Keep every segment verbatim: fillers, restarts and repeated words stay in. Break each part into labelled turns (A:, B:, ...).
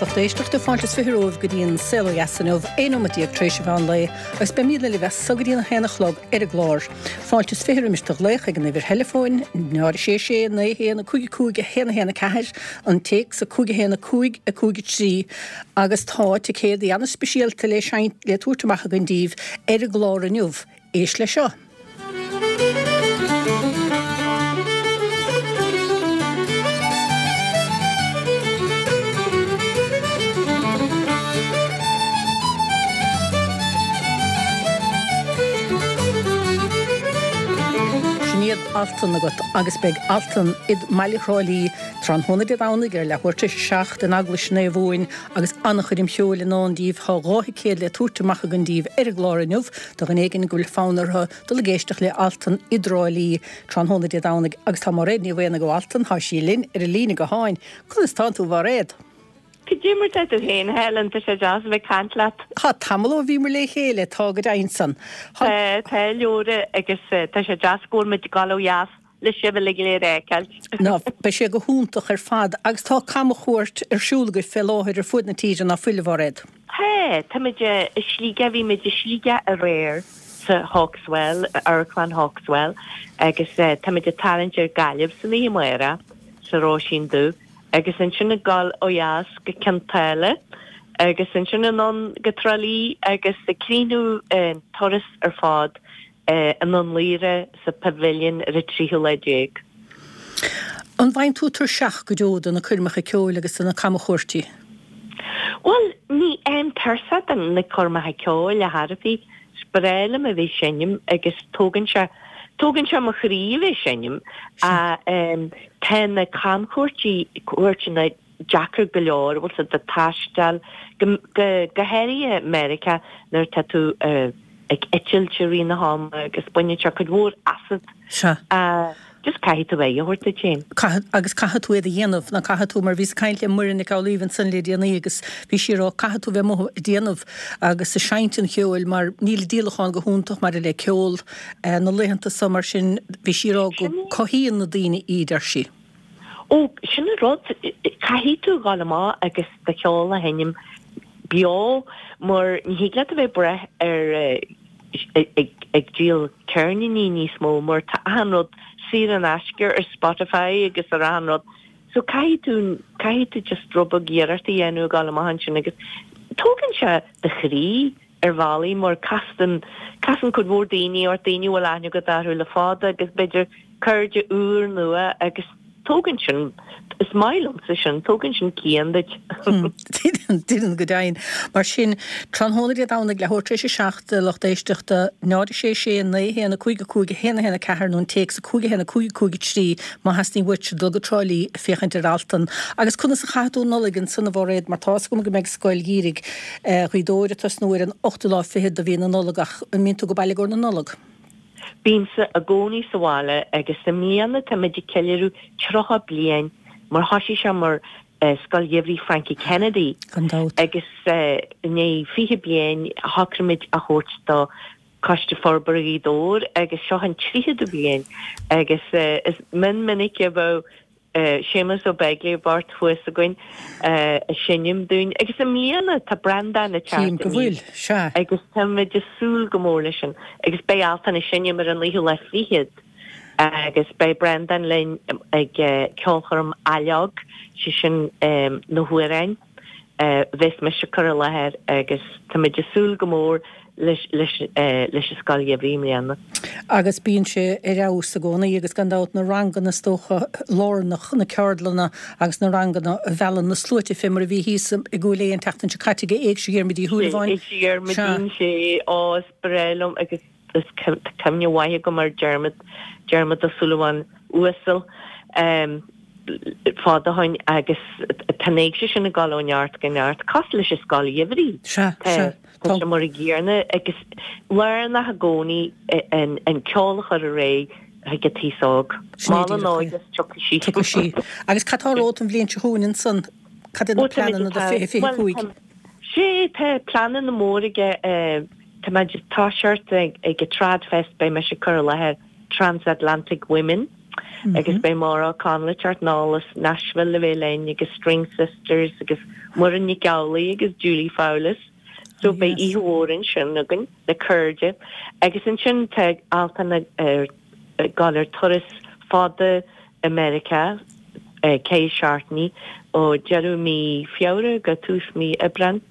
A: Lucht éisteachta, fáilte is fiche romhaibh go dtí an Saol Ó Dheas inniu, aon nóiméad déag tar éis an mheán lae, agus beimid libh as so go dtí an haon a chlog ar an gclár. Fáilte is fiche roimis do ghlaoch ag an uimhir theileafóin, náid a sé sé naoi haon a cúig a cúig a haon a haon a ceathair, an téacs a cúig a haon a cúig a cúig a trí, agus tá ticéadaí an-speisialta le seinnt le tabhairt amach againn daoibh ar an gclár inniu. Éist leis seo. Sin iad Altan agat agus beidh Altan i mbaile Thrá Lí tráthnóna Dé Domhnaigh ar leathuair tar éis a seacht in Eaglais Naomh Eoin agus an-choirm cheoil i ndán daoibh. Tá dhá thicéad le tabhairt amach againn daoibh ar an gclár inniu do dhuine éigin go bhfuil fonn orthu dul ag éisteacht le Altan i dTrá Lí tráthnóna Dé Domhnaigh agus tá Máiréad Ní Mhaonaigh ó Altan, tá sí linn ar an líne gutháin. Conas tánn tú a Mháiréad?
B: Cad é mar tá tú féin, a Helen, tá sé deas a bheith ag caint leat.
A: Tá tamall ó bhíomar le chéile, tá go deimhin san.
B: Tá, tá, leora, agus tá sé deas go bhfuil muid ag dul ó dheas le sibh uilig go léir a fheiceáilt.
A: Ná, beidh sé go hiontach ar fad agus tá camchuairt ar siúl agaibh fé láthair ar fuaid na tíre, ná fuil, a Mháiréad?
B: Tá, táimid i Sligeach, bhí muid i Sligeach aréir sa Hawkswell, Amharclann Hawkswell, agus táimid ag tarraingt ar Gaillimh san oíche amárach sa Róisín Dubh agus ansin ag dul ó dheas go Cionn tSáile agus ansin anonn go Trá Lí agus ag críochnú an turas ar fad i nDún Laoghaire sa Pavilion ar an tríú lá déag.
A: An bhfaigheann tú tuirseach go deo de na coirmeacha ceoil agus de na camchuairtí?
B: Bhuel, ní fhaighim tuirseach de na coirmeacha ceoil ar chor ar bith. Is breá liom a bheith ag seinm agus tógann sé, tógann sé mo chroí a bheith ag seinm. Ach tá na camchuairtí, cuairteanna deacair go leor, bhfuil 's agat, ag taisteal, go, go, go háirithe Meiriceá nuair atá tú ag eitilt i rith na hama agus baineann sé cuid mhór asat.
A: Sea.
B: Just caithfidh tú aghaidh a thabhairt duit féin.
A: Caithfidh, agus caithfidh tú iad a dhéanamh, nó caithfidh tú, mar bhíos ag caint le Muireann Nic Amhlaoibh ansan le déanaí agus bhí sí ag rá caithfidh tú bheith amuigh ag déanamh agus ag seinnt an cheoil mar níl an díolachán go hiontach maidir le ceol na laethanta so mar sin bhí sí ag rá go cothaíonn na daoine iad, ar sí.
B: Ó, sin an rud, caithfidh tú dhul amach agus do cheol a sheinm beo mar ní thig leat a bheith ag brath ar ag díol ceirníní níos mó mar tá achan rud saor in aisce ar Spotify agus ar achan rud. So caithfidh tú, caithfidh tú just rud beag iarracht a dhéanamh ag dul amach ansin agus tógann sé do chroí ar bhealaí mar casann, casann cuid mhór daoine ort, daoine a bhfuil aithne agat orthu le fada agus b'fhéidir cairde úr nua agus tógann sin, is maith liomsa sin, tógann sin cian duit.
A: Deineann go deimhin. Mar sin, tráthnóna Dé Domhnaigh, leathuair tar éis a seacht, a lucht éisteachta, náid a sé sé, naoi a haon, a cúig a cúig, a haon a haon a ceathair nó an téacs a cúig a haon a cúig a cúig a trí má theastaíonn uaitse dul go Trá Lí ag féachaint ar Altan. Agus conas a chaithfidh tú an Nollaig ansan a Mháiréad mar tá's agam go mbeidh Scoil Gheimhridh Ghaoth Dobhair ag tosnú ar an ochtú lá fichead de mhí na Nollag ach an mbíonn tú ag baile i gcomhair na Nollag?
B: Bímse i gcónaí sa bhaile agus i mbliana táimid ag ceiliúradh tríocha bliain mar thoisigh sé mar Scoil Gheimhridh Frankie Kennedy
A: Gan dabht.
B: agus i ndiaidh fiche bliain shocraigh muid a thabhairt do Coiste Forbartha Ghaoth Dobhair agus seo an tríochadú bliain agus is mion minic a bheadh Séamus Ó Beaglaoich bocht thuas againn ag seinm dúinn agus i mbliana tá Breandán ag
A: Tchím
B: teacht
A: go bhfuil,
B: aníos
A: sea.
B: agus táimid ag súil go mór leis sin agus beidh Altan ag seinm ar an naoú lá fichead agus beidh Breandán linn ag ceolchoirm Ailleog, sé sin na hamhráin. a bheas mise ag cur i láthair agus táimid ag súil go mór leis leis an Scoil Gheimhridh i mbliana.
A: Agus bíonn sé ar fheabhas i gcónaí agus gan dabht na ranganna is dócha lárnach, na ceardlanna agus na ranganna a mheallann na sluaite fé mar a bhí thíos i gCúil Aodha an tseachtain seo caite ag Éigse Dhiarmuid Uí Shúilleabháin.
B: Éigse Dhiarmuidín, sé, ó is breá liom agus is tá cuimhne mhaith agam ar Diarmuid, Diarmuid Ó Súilleabháin uasal, fada ó shoin agus tá an éigse sin ag dul ó neart go neart, cosúil leis an scoil gheimhridh.
A: Sea, sea.
B: Tá sé mar an gcéanna agus lárnach i gcónaí an ceol a chur ar aghaidh chuig an t-aos óg.
A: Sin é
B: Mol an
A: díreach é.
B: óige is tiocfaidh sí.
A: Tiocfaidh sí. Agus cad tá romhat an bhliain seo chugainn ansan? Cad iad na
B: Ó, táimid
A: pleananna do
B: atá,
A: fiche fiche
B: bhuel,
A: cúig?
B: tá, sé, tá pleananna móra aige, tá muid ag toiseacht ag ag an Tradfest, beidh mise ag cur i láthair Transatlantic Women. agus beidh Maura O'Connell ag teacht anall as Nashville le bheith linn agus String Sisters agus Muireann Nic Amhlaoibh agus Julie Fowlis. So beidh oíche mhór ansin againn le cairde agus ansin tá Altan ag dul ar turas fada i Meiriceá ceithre seachtainí ó deireadh mí Feabhra go tús mí Aibreán.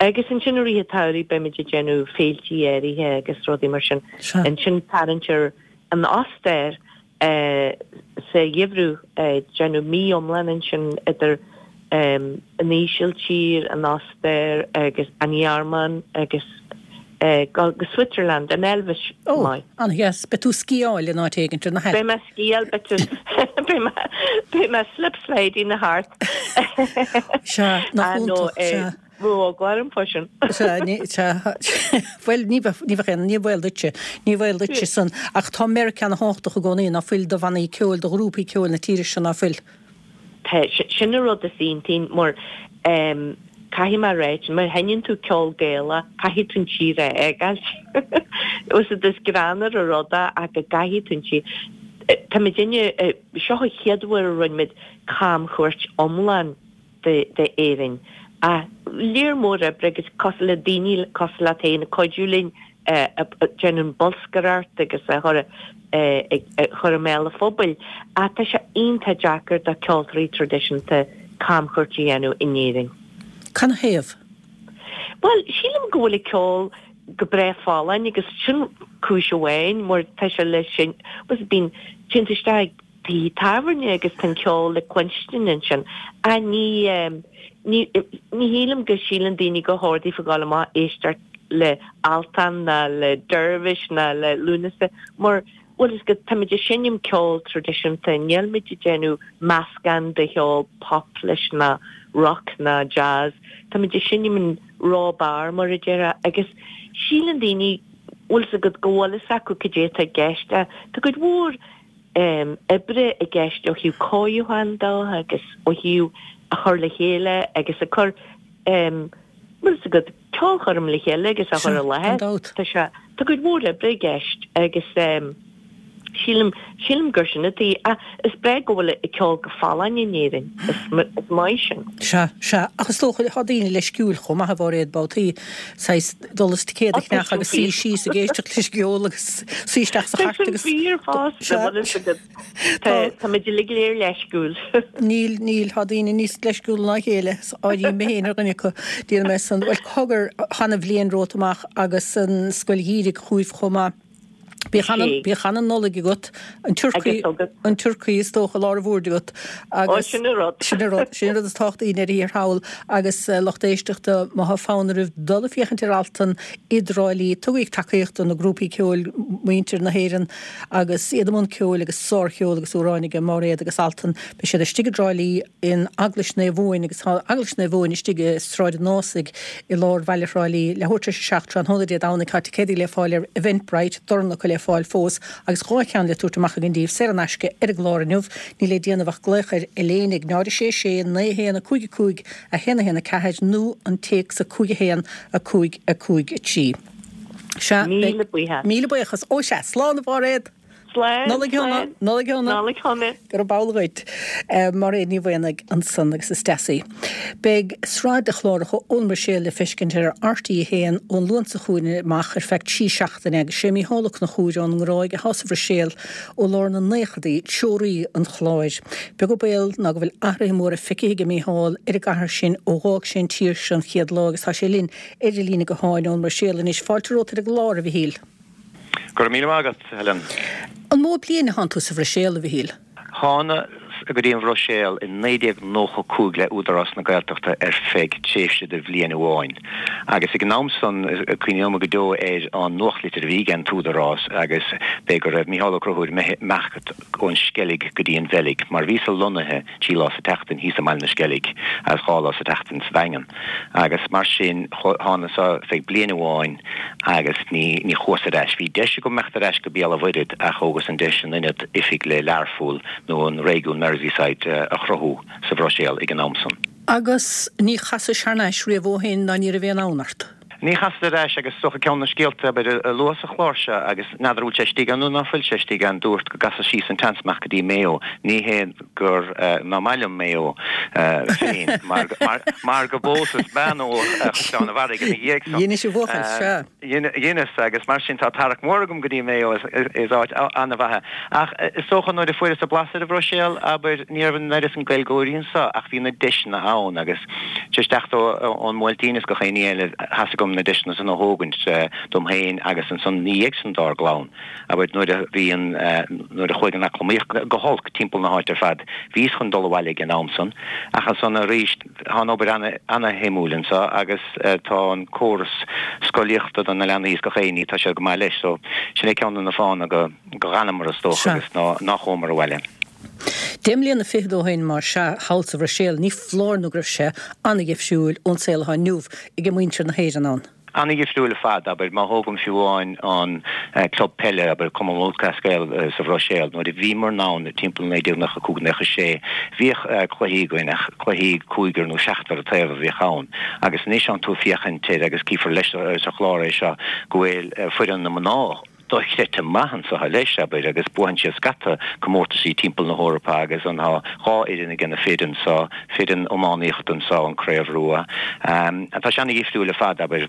B: Agus ansin i rith an tsamhraidh beimid ag déanamh féiltí áirithe agus rudaí mar sin. Ansin tarraingt ar an Ostair sa gheimhreadh, déanamh mí iomlán ansin idir an Ísiltír, an Ostair agus an Ghearmáin agus go Switzerland, an Eilvéis.
A: Ó, an-dheas. Beidh tú ag sciáil in áit éigin ar na
B: Beidh mé ag sciáil, beidh mé beidh mé slip sliding thart.
A: Sea, nach iontach, sea.
B: Bheadh eagla orm fá sin.
A: Sea, ní, sea, bhuel, ní bheadh, ní bheadh aon, ní baol duitse, ní baol duitse san, ach tá Meiriceá ana thábhachtach i gcónaí, ná fuil, do bhannaí ceoil, do ghrúpaí ceoil na tíre seo, ná fuil?
B: Tá, sin an rud is iontaí mar caithfidh mé a ráit, má sheinneann tú ceol Gaelach, caithfidh tú an tír a fhágáilt. Is greannmhar an rud é ach go gcaithfidh tú an tír. Tá muid inne, seo an chéad uair a rinne muid camchuairt iomlán d'Éirinn. Ach léar mór oibre agus cosúil le daoine cosúil leat féin ag cuidiú linn déanamh bolscaireacht agus a chur a chur i mbéal an phobail. Ach tá sé iontach deacair do ceoltóirí traidisiúnta camchuairt a dhéanamh in Éirinn.
A: Canathaobh?
B: Bhuel, sílim go bhfuil an ceol go breá folláin agus sin cúis amháin mar tá sé le sin, bíonn, téann tú isteach ag tithe tábhairne agus tá an ceol le cluinstin ansin. Ach ní, ní, ní shílim go síleann daoine gur chóir daofa gabháil amach éisteacht le Altan ná le Dervish ná le Lúnasa mar bhfuil fhios agat, táimid ag seinm ceol traidisiúnta, nílimid ag déanamh meascán de cheol pop leis ná rock ná jazz, táimid ag seinm an raw barr mar a déarfá agus síleann daoine, bhfuil fhios agat, go bhfuil fhios acu cad é atá i gceist. Tá cuid mhór oibre i gceist ó thaobh cóiriúcháin de agus ó thaobh a chur le chéile agus a cur bhfuil fhios agat, ceolchoirm le chéile agus a chur i láthair. Tá sé, tá cuid mhór oibre i gceist agus sílim, sílim gur sin atá, ach is breá go bhfuil an ceol go folláin in Éirinn, is, is maith sin.
A: Sea, sea, ach is dócha, tá daoine leisciúil chomh maith a Mháiréad, babhtaí, saghas dul is ticéad a cheannach agus suí síos ag éisteacht leis an gceol agus suí isteach sa chairt agus.
B: Tá sin fíor fosta, bhfuil fhios agat. Tá, tá muid uilig go léir leisciúil.
A: Níl, níl, tá daoine níos leisciúla ná a chéile, áirím mé féin ar dhuine acu, déarfaidh mé san. Bhuel, cogar, chan an bhliain romhat amach agus an Scoil Gheimhridh chugaibh chomh maith. Bíodh ana, bíodh ana Nollaig agat, an turcaí, an turcaí is dócha i lár an bhoird agat agus.
B: Ó, sin an rud.
A: Sin an rud, sin an rud is tábhachtaí i ndeireadh thiar thall agus lucht éisteachta, má thá fonn oraibh dul ag féachaint ar Altan i dTrá Lí, tugaigí tacaíocht do na grúpaí ceoil, muintir na hÉireann agus iad i mbun ceoil agus sárcheol agus amhráin aige Máiréad agus Altan. Beidh siad istigh i dTrá Lí in Eaglais Naomh Uain agus tá Eaglais Naomh Uain istigh i Sráid an Ásaigh i lár bhaile Thrá Lí, leathuair tar éis a seacht tráthnóna Dé Domhnaigh. Tá ticéadaí le fáil ar Eventbrite, dorn acu le fáil fós agus dhá cheann le tabhairt amach againn daoibh saor in aisce ar an gclár inniu. Níl le déanamh ach glaoch ar Elaine ag náid a sé sé naoi a haon a cúig a cúig a haon a haon a ceathair nó an téacs a cúig a haon a cúig a cúig a trí. Sea, beidh.
B: Míle buíochas.
A: Míle buíochas. Ó sea, slán a Mháiréad!
B: Slán,
A: Nollaig shona,
B: slán.
A: Nollaig shona.
B: Nollaig shona.
A: Go raibh amhlaidh dhuit. Máiréad Ní Mhaonaigh ansan agus is deas í. Beidh sraith de chláracha ón mBruiséil le feiscint ar RTÉ a haon ón Luan seo chugainn amach ar feadh trí seachtaine agus sé Mícheál Ó Conchúir ón nGráig atá sa Bhruiséil ó lár na naochadaí, treoraí an chláir. Beag an baol ná go bhfuil athruithe móra feicthe aige Mícheál ar an gcathair sin ó dh'fhág sé an tír seo an chéad lá agus tá sé linn ar an líne gutháin ón mBruiséil anois. Fáilte romhat ar an gclár, a Mhichíl.
C: Go raibh míle maith agat, Helen.
A: An mó bliain atánn tú sa Bhruiséil, a Mhichíl?
C: Thánas go dtí an Bhruiséil i naoi déag nócha cúig le Údarás na Gaeltachta ar feadh tréimhse de bhliain amháin. Agus ag an am san, cuimhneoidh mé go deo ar an nuachtlitir a bhí ag an t-údarás agus b'é go raibh Mícheál Ó Conchúir imithe imeacht ón Sceilg go dtí an Bheilg mar bhíos-sa lonnaithe trí lá sa tseachtain thíos i mBaile na Sceilg agus dhá lá sa tseachtain sa Daingean. Agus mar sin, thánas-sa feadh bliain amháin agus ní ní chuas ar ais. Bhí deis agam imeacht ar ais go Béal an Mhuirthead ach thógas an deis in ionad oifig le Learpholl nó an réigiún Merseyside a chruthú sa Bhruiséil ag an am san.
A: Agus ní chasais thar n-ais riamh ó shin ná ní raibh aon fhonn ort?
C: Ní chasfad ar ais agus is dócha ceann de na scéalta abair a luadh sa chlár seo agus n'fheadar an bhfuil sé istigh ann nó ná fuil sé istigh ann, dúrt go gcasfad síos an tseans amach go dtí Maigh Eo. Ní hé gur ná maith liom Maigh Eo féin mar mar go bpósas bean ó Chaisleán an Bharraigh ina dhiaidh san.
A: Dheinis a bhuachaill, sea.
C: Dheineas agus mar sin tá tarrac mór agam go dtí Maigh Eo, is áit an-mhaith é. Ach is dócha nuair a fuaireas an blas ar an Bhruiséil, abair, ní raibh an oiread san Gaeilgeoirí anso ach bhí na deiseanna ann agus tar éis teacht ón mBuailtín is gach aon ní eile, tá 's agam na deiseanna san a thógaint dom féin agus ansan ina dhiaidh san dár gclann. Abair nuair a bhí an, nuair a chuaigh an eacnamaíocht go holc timpeall na háite ar fad, bhíos chun dul abhaile ag an am san ach ansan arís tá an obair ana-shuimiúil anso agus tá an córas scolaíochta do na leanaí is gach aon ní, tá sé go maith leis so sin é ceann de na fáthanna go dh'fhanamar is dócha agus ná chuamar abhaile.
A: Deich mbliana fichead ó shin, más ea, thall sa Bhruiséil, ní foláir nó go raibh sé an-dhifriúil ón saol atá inniu ag muintir na hÉireann ann.
C: An-dhifriúil ar fad, abair, má thógaim fiú amháin an club peile, abair, Cumann Lúthchleas Gael sa Bhruiséil, nuair a bhíomar ann timpeall naoi déag nócha cúig, nócha sé, bhíodh cluichí againn ach cluichí cúigear nó seachtar an taobh a bhíodh ann agus anois tánn tú ag féachaint air agus cífear leis sa chlár é seo go bhfuil foireann na mná dochreidte maith anso leis, abair, agus buann siad scata comórtaisí timpeall na hEorpa agus an tá dhá fhoireann ag na fir anso, foireann iománaíochta anso, an Craobh Rua. Tá sé ana-dhifriúil ar fad, abair.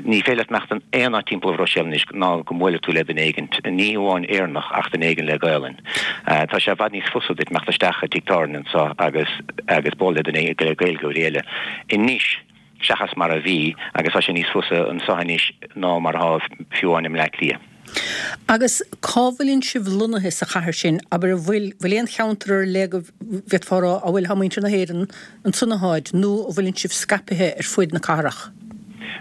C: Ní féidir leat imeacht in aon áit timpeall an Bhruiséil anois ná go mbuailfidh tú le duine éigint, ní hamháin Éireannach ach duine éigin le Gaelainn. Tá sé i bhfad níos fusa duit imeacht isteach i dtigh tábhairne anso agus agus bualadh le duine le Gaeilgeoirí eile anois. seachas mar a bhí agus tá sé níos fusa anso anois ná mar atá fiú amháin i mBleá Cliath.
A: Agus cá bhfuileann sibh lonnaithe sa chathair sin? Abair, an bhfuil, bhfuil aon cheantar ar leith go bhféadfá a rá, a bhfuil, tá muintir na hÉireann ansan atáid nó an bhfuileann sibh scaipthe ar fuid na cathrach?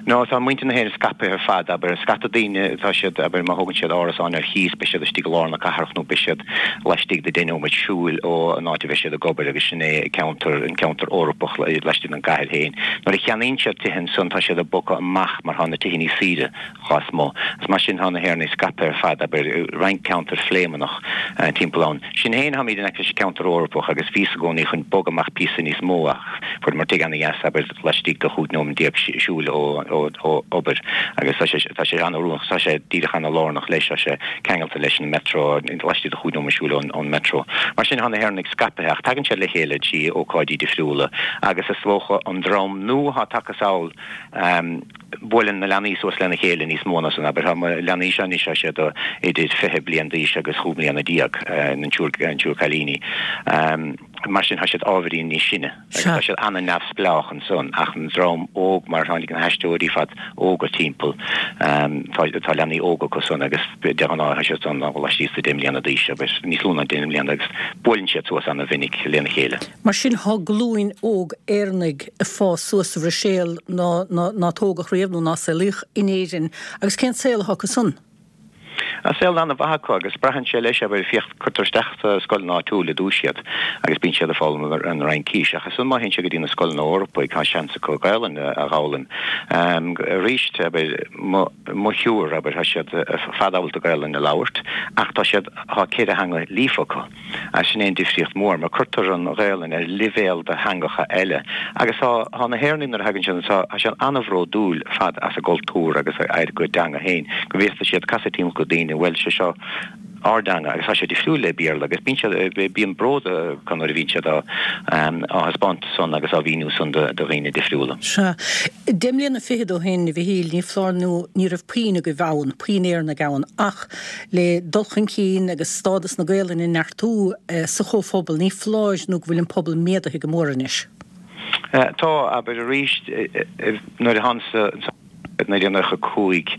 C: No, tá muintir na hÉireann scaipthe ar fad, abair, scata daoine, tá siad, abair, má thógann siad árasán ar chíos, beidh siad istigh i lár na cathrach nó beidh siad laistigh de deich nóiméad siúil ó an áit a bheidh siad ag obair agus sin é ceantar, an ceantar Eorpach laistigh den gcathair féin. Nuair a cheannaíonn siad tithe ansan tá siad ag bogadh amach mar tá na tithe níos saoire chás mo. Agus mar sin tá na hÉireannaigh scaipthe ar fad, abair, roinnt ceantar Phléimeannach timpeall ann. Sinn féin táimid in aice leis an gceantar Eorpach agus bhíos i gcónaí chun bogadh amach píosa níos mó ach fuaireamar tigh ana-dheas, abair, laistigh de chúig nóiméad déag siúil ó ó obair agus tá sé tá sé an-oiriúnach, tá sé díreach ana-lárnach leis, tá sé ceangailte leis an metro, laistigh de chúig nóiméad siúil ón metro. Mar sin tá na hÉireannaigh scaipthe ach tagann siad le chéile trí ócáidí difriúla agus is dócha an dream nua atá tagtha sall, buaileann na leanaí suas lena chéile níos mó ná san, abair, tá mo leanaí seo anois, tá siad idir fiche bliain d'aois agus chúig mbliana déag, an triúr an triúr cailíní. Mar sin tá siad ábhairín níos sine agus tá siad an-neamhspleách ansan ach an dream óg mar tháinig na haisteoirí fad óga timpeall, tá tá leanaí óga acu san agus de ghnáth tá siad san laistíos de deich mbliana d'aois agus níos lú ná deich mbliana agus buaileann siad suas an-mhinic lena chéile.
A: Mar sin tá glúin óg Éireannaigh ag fás suas sa Bhruiséil ná ná ná tógadh riamh nó ná saolaíodh in Éirinn agus cén saol atá acu san?
C: Tá saol an-mhaith acu agus braitheann sé leis, abair, féach, cuirtear isteach sa scoileanna áitiúil i dtús iad agus bíonn siad ag foghlaim an Fhraincis ach ansan má théann siad go dtí na scoileanna Eorpaigh tá seans acu Gaelainn a dh'fhoghlaim. Arís, abair, mo, mo thriúr, abair, tá siad ar fad ábalta Gaelainn a labhairt ach tá siad, tá ceithre theanga líofa acu. Agus sin é an difríocht mhór, mar cuirtear an Ghaelainn ar leibhéal de theangacha eile. Agus tá, tá na hÉireannaigh nuair a thagann siad anseo, tá siad an-bhródúil ar fad as a gcultúr agus ar a gcuid teanga féin, go bhféadfaidh siad casadh timpeall go daoine, bhuel, sé seo ár dteanga agus tá sé difriúil le Béarla agus bíonn siad, bíonn bród acu nuair a bhíonn siad á, á thaispeáint san agus á mhíniú san do dhaoine difriúla.
A: Sea. Deich mbliana fichead ó shin, a Mhichíl, ní foláir nó ní raibh puinn agaibh ann, puinn Éireannaigh ann, ach Le dul chun cinn agus stádas na Gaolainne a neartú sa chomhphobal, ní foláir nó go bhfuil an pobal méadaithe go mór anois.
C: Tá, abair arís, nuair a thánas anseo i naoi déag nócha cúig,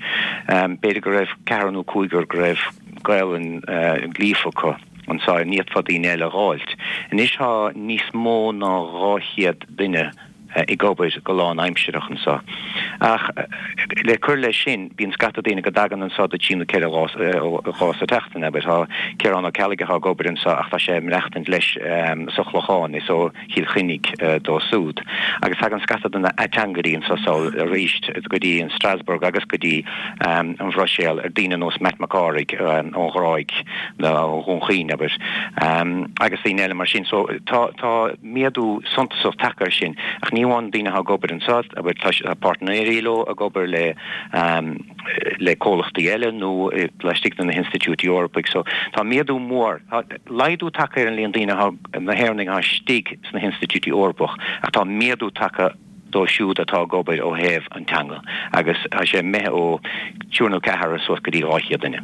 C: b'fhéidir go raibh ceathrar nó cúigear go raibh Gaolainn líofa acu anseo, ní fhéadfá daoine eile a dh'fháilt. Anois tá níos mó ná dhá chéad duine ag obair go lánaimsearach anseo. Ach le cur leis sin, bíonn scata daoine go dtagann anseo do trí nó ceithre lá sa tseachtain, abair. Tá Ciarán Ó Ceallaigh atá ag obair anseo ach tá sé ag maireachtaint leis sa Chlochán, is ó Chill Chainnigh dó súd. Agus tagann scata de na ateangairí anseo sall arís go dtí an Strasbourg agus go dtí an Bhruiséil ar daoine nós Matt Mac Cárthaigh ón Ghráig nó ó Dhún Chaoin, abair, agus daoine eile mar sin. So tá tá méadú suntasach tagtha air sin ach ní amháin daoine atá ag obair anseo, abair, tá páirtnéirí leo ag obair le le comhlachtaí eile nó laistigh de na hinstitiúidí Eorpaigh. So tá méadú mór, tá laghdú tagtha ar an líon daoine atá, na hÉireannaigh atá istigh sna hinstitiúidí Eorpach ach tá méadú tagtha dóibh siúd atá ag obair ó thaobh an teanga agus tá sé imithe ó triúr nó ceathrar suas go dtí dhá chéad duine.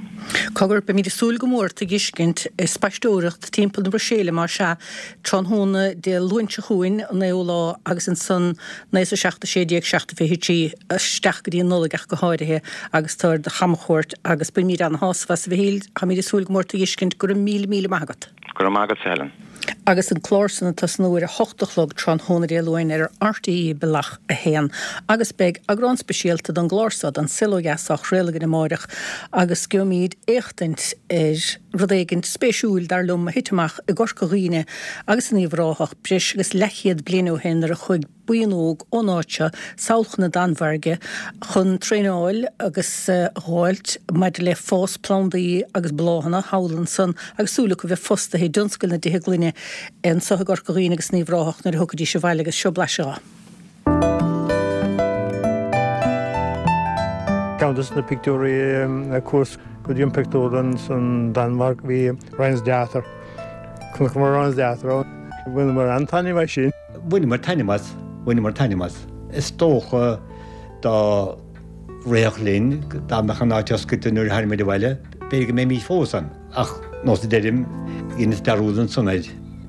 A: Cogar, beimid ag súil go mór tú a dh'fheiscint ag spaisteoireacht timpeall na Bruiséile más ea, tráthnóna Dé Luain seo chugainn, an naoú lá, agus ansan naoi is a seacht, a sé déag, seacht a fiche trí, isteach go dtí an Nollaig ach go háirithe, agus tú ar do chamchuairt agus bainimid ana-shásamh as, a Mhichíl. Táimid ag súil go mór tú a dh'fheiscint. Go raibh míle míle maith agat.
C: Go raibh maith agatsa, Helen.
A: Agus an clár san ag tosnú ar a hocht a chlog tráthnóna Dé Luain ar RTÉ Bealach a haon. Agus beidh eagrán speisialta don gclár seo den Saol Ó Dheas á chraoladh againn amáireach agus gheobhaimid éachtaint ar rud éigint spéisiúil, dar liom, a thit amach i gCorca Dhuibhne agus in Uíbh Ráthach breis agus leathchéad bliain ó shin nuair a chuaigh buíon óg ón áit seo sall chun na Danmhairge chun traenáil agus a dh'fháilt maidir le fás plandaí agus bláthanna thall ansan agus súil acu bheith fostaithe i dtionscal na dtithe gloine anso i gCorca Dhuibhne agus in Uíbh Ráthach nuair a thiocfaidís abhaile agus seo blaiseadh dho.
D: Ceann de na pictiúirí a chuas go dtí an pictiúrlann san Danmhairg bhí Rensdatter. Chonaiceamar Rensdatter ann. Bhaineamar an-taitneamh as sin.
E: Bhaineamar taitneamh as, bhaineamar taitneamh as. Is dócha dá rithfeadh linn, dá mbeadh an áit oscailte nuair a tháinig muid abhaile, b'fhéidir go mbeimís fós ann. Ach nós a deirim, dheineas dearúd ansan air.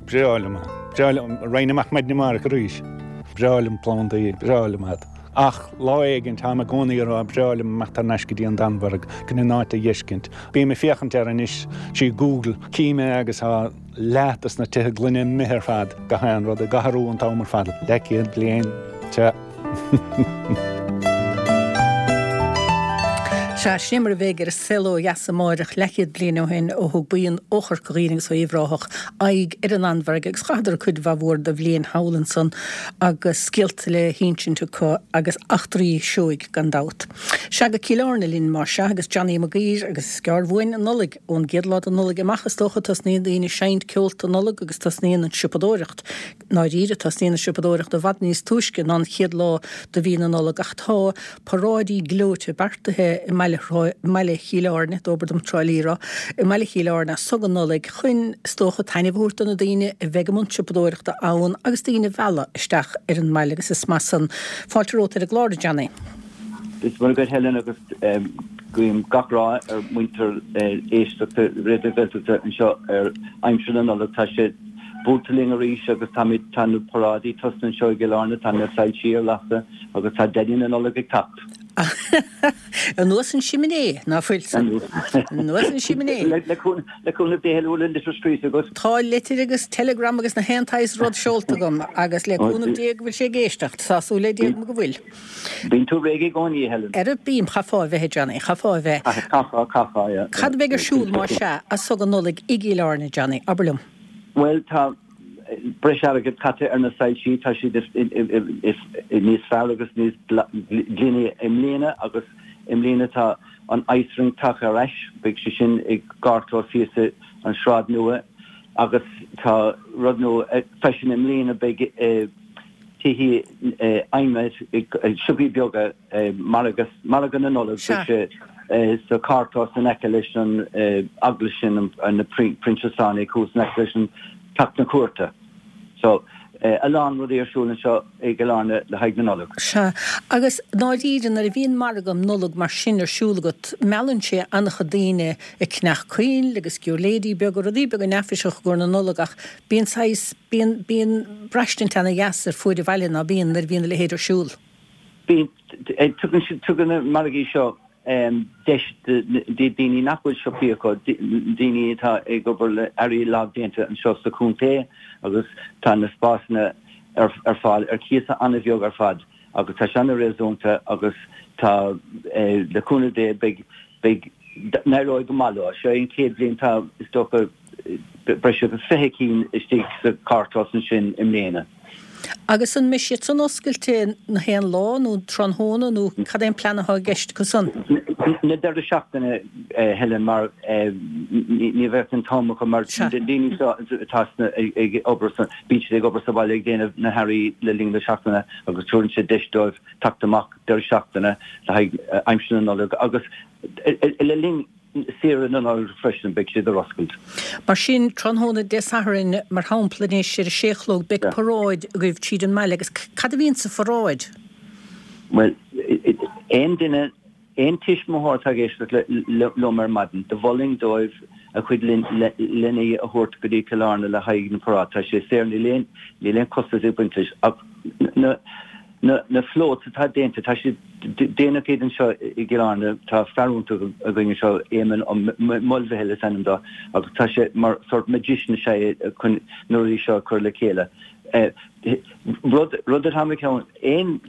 F: Breá liom é. Breá liom. Raghainn amach maidin amárach arís. Breá liom plandaí, breá liom iad. Ach lá éigin, táim i gcónaí ag rá, breá liom imeacht thar n-ais go dtí an Danmhairg, chun an áit a dh'fheiscint. Bím ag féachaint air anois trí Google, cím é agus tá leath dos na tithe gloine imithe ar fad, gach aon rud ag athrú an t-am ar fad, leathchéad bliain, sea.
A: Sea, sin é mar a bheidh ar An Saol Ó Dheas amáireach, leathchéad bliain ó shin ó thug buíon ó Chorca Dhuibhne agus ó Uíbh Ráthach aghaidh ar an Danmhairg agus chaitheadar cuid mhaith mhór de bhliain thall ansan agus scéalta le hinsint acu agus eachtraí seoigh gan dabht. Sea, go Cill Airne linn más ea agus Johnny Mac Uidhir agus is gearr uainn an Nollaig, ón gcéad lá de Nollaig amach is dócha tosnaíonn daoine ag seinnt ceolta Nollag agus tosnaíonn an tsiopadóireacht. I ndáiríre, tosnaíonn an tsiopadóireacht i bhfad níos túisce ná an chéad lá de mhí na Nollag ach tá paráidí gleoite beartaithe i mbaile Chill Airne, dóbair dom Trá Lí a rá, i mbaile Chill Airne as so go Nollaig chun, is dócha, taitneamh a thabhairt do na daoine a bheidh i mbun siopadóireachta ann agus daoine a mhealladh isteach ar an mbaile agus is maith san. Fáilte romhat ar an gclár, a Johnny.
G: Is maith agat Helen agus guím gach rath ar muintir éisteachta Raidió na Gaeltachta anseo ar aimsir na Nollag. Tá sé buailte linn arís agus táimid, tá na paráidí tosaithe anseo i gCill Airne, tá na soilsí ar lasadh agus tá Daidí na Nollag ag teacht.
A: Anuas an siminé, ná fuil san? Anuas an siminé.
G: Le cúnamh Dé, bhfuil an litir scríofa agat?
A: Tá litir agus telegram agus na haon tsaghas rud seolta agam agus le cúnamh Dé go bhfuil sé ag éisteacht. Tá súil le Dia agam go bhfuil.
G: Bíonn tú réidh i gcónaí, a Helen.
A: Ara bím, chaithfeá a bheith, a Johnny, chaithfeá a bheith.
G: Chaithfeá, chaithfeá, yeah.
A: Cad a bheidh ar siúl, más ea, as so go Nollaig i gCill Airne, Johnny, abair liom.
G: Bhuel, tá breis airgid caite ar na soilsí, tá siad níos fearr agus níos glaine i mbliana agus i mbliana tá an ice rink tagtha ar ais, beidh sé sin i gcarrchlós thíos an Sráid Nua agus tá rud nua freisin i mbliana, beidh tithe adhmaid, siopaí beaga, margadh, margadh na Nollag, beidh sé sa charrchlós in aice leis an eaglais sin, na Proinsiasánaigh thuas in aice leis an Teach na Cúirte. So, a lán rudaí ar siúl anseo i gCill Airne le haghaidh na Nollag.
A: Sea, agus ndáiríre nuair a bhíonn margadh Nollag mar sin ar siúl agat, meallann sé an-chuid daoine ag ceannach coinnle agus giúirléidí beaga, rudaí beaga neafaiseacha i gcomhair na Nollag ach bíonn saghas, Bíonn, bíonn braistint ana dheas ar fuaid an bhaile, ná bíonn, nuair a bhíonn a leithéid ar siúl?
G: Bíonn. Tugann siad, tugann na margaí seo deis do daoine nach bhfuil siopaí acu, daoine atá ag obair le earraí lámhdéanta anseo sa chontae agus tá na spásanna ar fáil ar cíos an-bheag ar fad agus tá sé an-réasúnta agus tá, le cúnamh Dé, beidh, beidh N-éireoidh go maith leo. Seo é an chéad bhliain tá, is dócha, breis agus fiche cinn istigh sa charrchlós ansin i mbliana.
A: Agus an mbeidh siad san oscailte na haon lá nó tráthnóna nó cad é an plean atá i gceist acu san?
G: Na deireadh seachtaine, Helen, mar ní bheadh an t-am acu mar na daoine seo atá ag obair sa, bíonn siad ag obair sa bhaile ag déanamh na hearraí le linn na seachtaine agus tabharann sé deis dóibh teacht amach deireadh seachtaine le haghaidh aimsir na Nollag agus le linn saoire na Nollag freisin beidh siad ar oscailt.
A: Mar sin, tráthnóna Dé Sathairn, mar shampla anois, ar a sé a chlog, beidh paráid agaibh tríd an mbaile agus cad a bhíonn sa pharáid?
G: Bhuel, aon duine, aon tuismitheoir atá ag éisteacht liom ar maidin, do mholfainn dóibh a chuid leanaí a thabhairt go dtí Cill Airne le haghaidh na paráid. Tá sé saor, níl aon, níl aon costas ag baint leis ach na, Na na floats atá déanta, tá siad, déanadh iad anseo i gCill Airne, tá fear iontach againn anseo, Éamonn Ó Maolmhichíl is ainm dó, agus tá sé mar sort magician is ea é chun na rudaí seo a chur le chéile. Rud, rud atá mé ag ceapadh, aon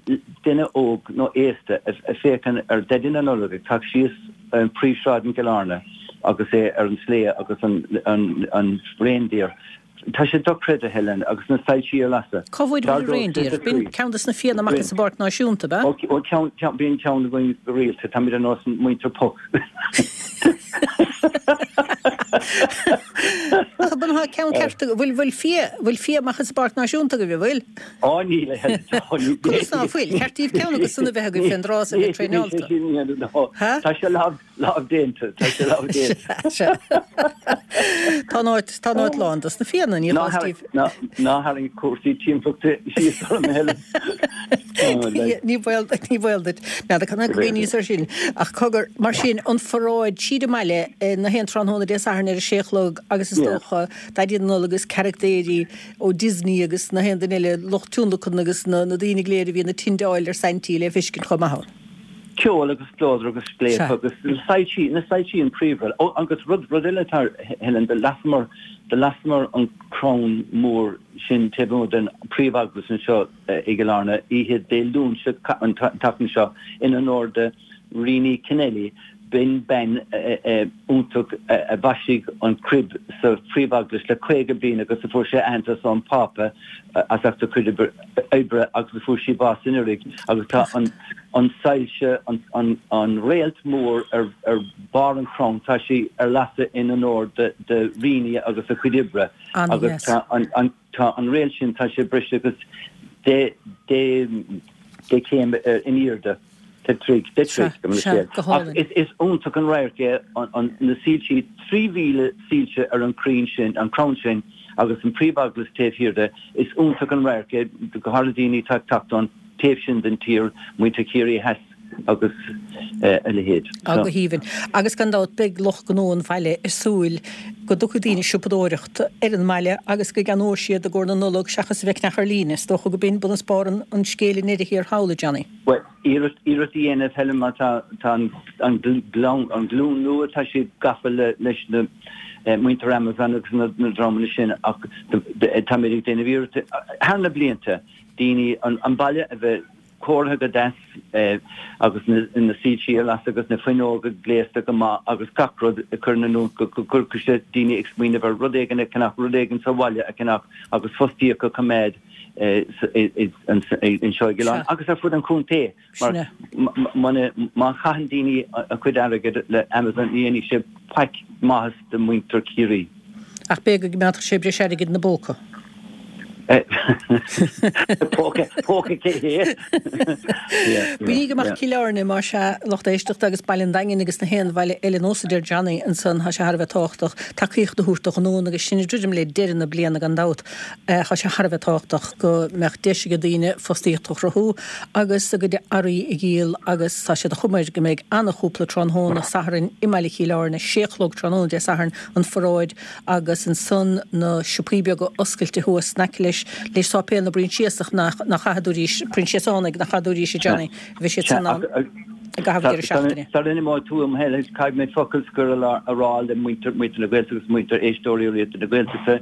G: duine óg nó aosta a féachann ar Daidí na Nollag ag teacht síos príomhshráid in Cill Airne agus é ar an sleigh agus an, an, an reindeer, Tá sé dochreidte, Helen, agus na soilsí ar lasadh.
A: Cá bhfuair an reindeer? B'in ceann de na fianna amach as an bPáirc Náisiúnta, ab ea?
G: Ó, ceann, ceann, bíonn ceann againn go rialta. Táimid ar nós muintir Puck.
A: Ach an bhfuil ceann ceart agaibh? Bhfuil, bhfuil fia, bhfuil fia amach as an bPáirc Náisiúnta agaibh, an bhfuil?
G: Ó, níl, a Helen, ó, níl.
A: Conas ná fuil? Ceart daoibh ceann acu san a bheith agaibh fén dtráth is a bheith traenáilte.
G: Tá sé lámh, Lámh déanta, tá sé lámh déanta.
A: Sea. Tá an áit, tá an áit lán dos na fianna, ní
G: chás daoibh. Ná tharraing cúrsaí timpeallachta síos orm, a Helen.
A: Ní baol, ní baol duit. N'fheadar cad ná go gcuimhníos air sin. Ach cogar, mar sin, an pharáid tríd an mbaile na haon tráthnóna Dé Sathairn ar a sé a chlog agus is dócha Daidí na Nollag agus carachtéirí ó Disney agus na haon duine eile, lucht tionlacan agus na daoine go léir a bhíonn ag tindeáil ar Saintí le feiscint chomh maith ann.
G: Ceol agus spleodar agus scléip agus na soilsí, na soilsí an príomhrud. Ó, agus rud, rud eile atá, Helen, do lasamar, do lasamar an crann mór sin taobh amuigh den príomh-eaglais anseo i gCill Airne oíche Dé Luain seo, an tseachtain seo, in onóir de Rini Kennelly. B'in bean iontach a mhaisigh an crib sa phríomh-eaglais le caoga bliain agus a fuair sé aitheantas ón Phápa as ucht a cuid oibre agus a fuair sí bás anuraidh agus tá an an soilse, an réalt mór ar bharr an chrann, tá sí ar lasadh in onóir de Rini agus a cuid oibre agus tá an tá an réalt sin, tá sé breis agus deich gcéim in airde, deich dtroigh, deich dtroigh, go mbeidh sé. Ach is iontach an radharc é na soilsí, trí mhíle soilse ar an crainn sin, an crann sin agus an príomh-eaglais taobh thiar de, is iontach an radharc é, go háirithe daoine atá ag teacht ón taobh sin den tír, muintir Chiarraí Theas agus a leithéid.
A: Á, go haoibhinn. Agus gan dabht beidh lucht gnó an bhaile ag súil go dtiocfaidh daoine ag siopadóireacht ar an mbaile agus go gceannóidh siad i gcomhair na Nollag seachas a bheith ag ceannach ar líne. Is dócha go b'in bun is barr an scéil i ndeireadh thiar thall, a Johnny.
G: Bhuel, iarracht iarracht a dhéanamh, Helen, mar tá tá an an an glúin nua, tá siad gafa le leis na muintir Amazon agus na na dreamanna sin ach táimid ag déanamh iarracht thar na blianta daoine an an baile a bheith cóirithe go deas agus na na soilsí ar lasadh agus na fuinneoga gléasta go maith agus gach rud a chur in oiriúint go go gcuirfeadh sé daoine ag smaoineamh ar rud éigin a cheannach, rud éigin sa bhaile a cheannach agus fostaíocht a choimeád anseo i gCill Airne agus ar fud an chontae mar má chaitheann daoine a gcuid airgid le Amazon ní dhéanfaidh sé faic maitheas do mhuintir Chiarraí.
A: Ach b'fhéidir go gcoimeádfadh sé breis airgid ina bpóca.
G: Póca, póca cé hé?
A: Bainigí amach Cill Airne más ea, lucht éisteachta agus Baile an Daingin agus na haon bhaile eile nós a deir Johnny ansan, tá sé thar a bheith tábhachtach tacaíocht a thabhairt do ghnónna agus sinn ag druidim le deireadh na bliana gan dabht. Tá sé thar a bheith tábhachtach go mbeadh deis ag daoine fostaíocht a chruthú agus a gcuid earraí a dhíol agus tá sé de chuma air go mbeidh ana-chúpla tráthnóna Sathairn i mbaile Chill Airne, sé a chlog tráthnóna Dé Sathairn an pharáid agus ansan na siopaí beaga oscailte thuas in aice leis le Sáipéal na bProinsiasach nach nach chaithfidís, Proinsiasánaigh, nach chaithfidís a Johnny, bhí siad san ann i gcaitheamh deireadh seachtaine.
G: Sara n-imeoidh tú a Helen, caithfidh mé focal scoir a rá le muintir na Gaeltachta agus muintir éisteoirí Raidió na Gaeltachta.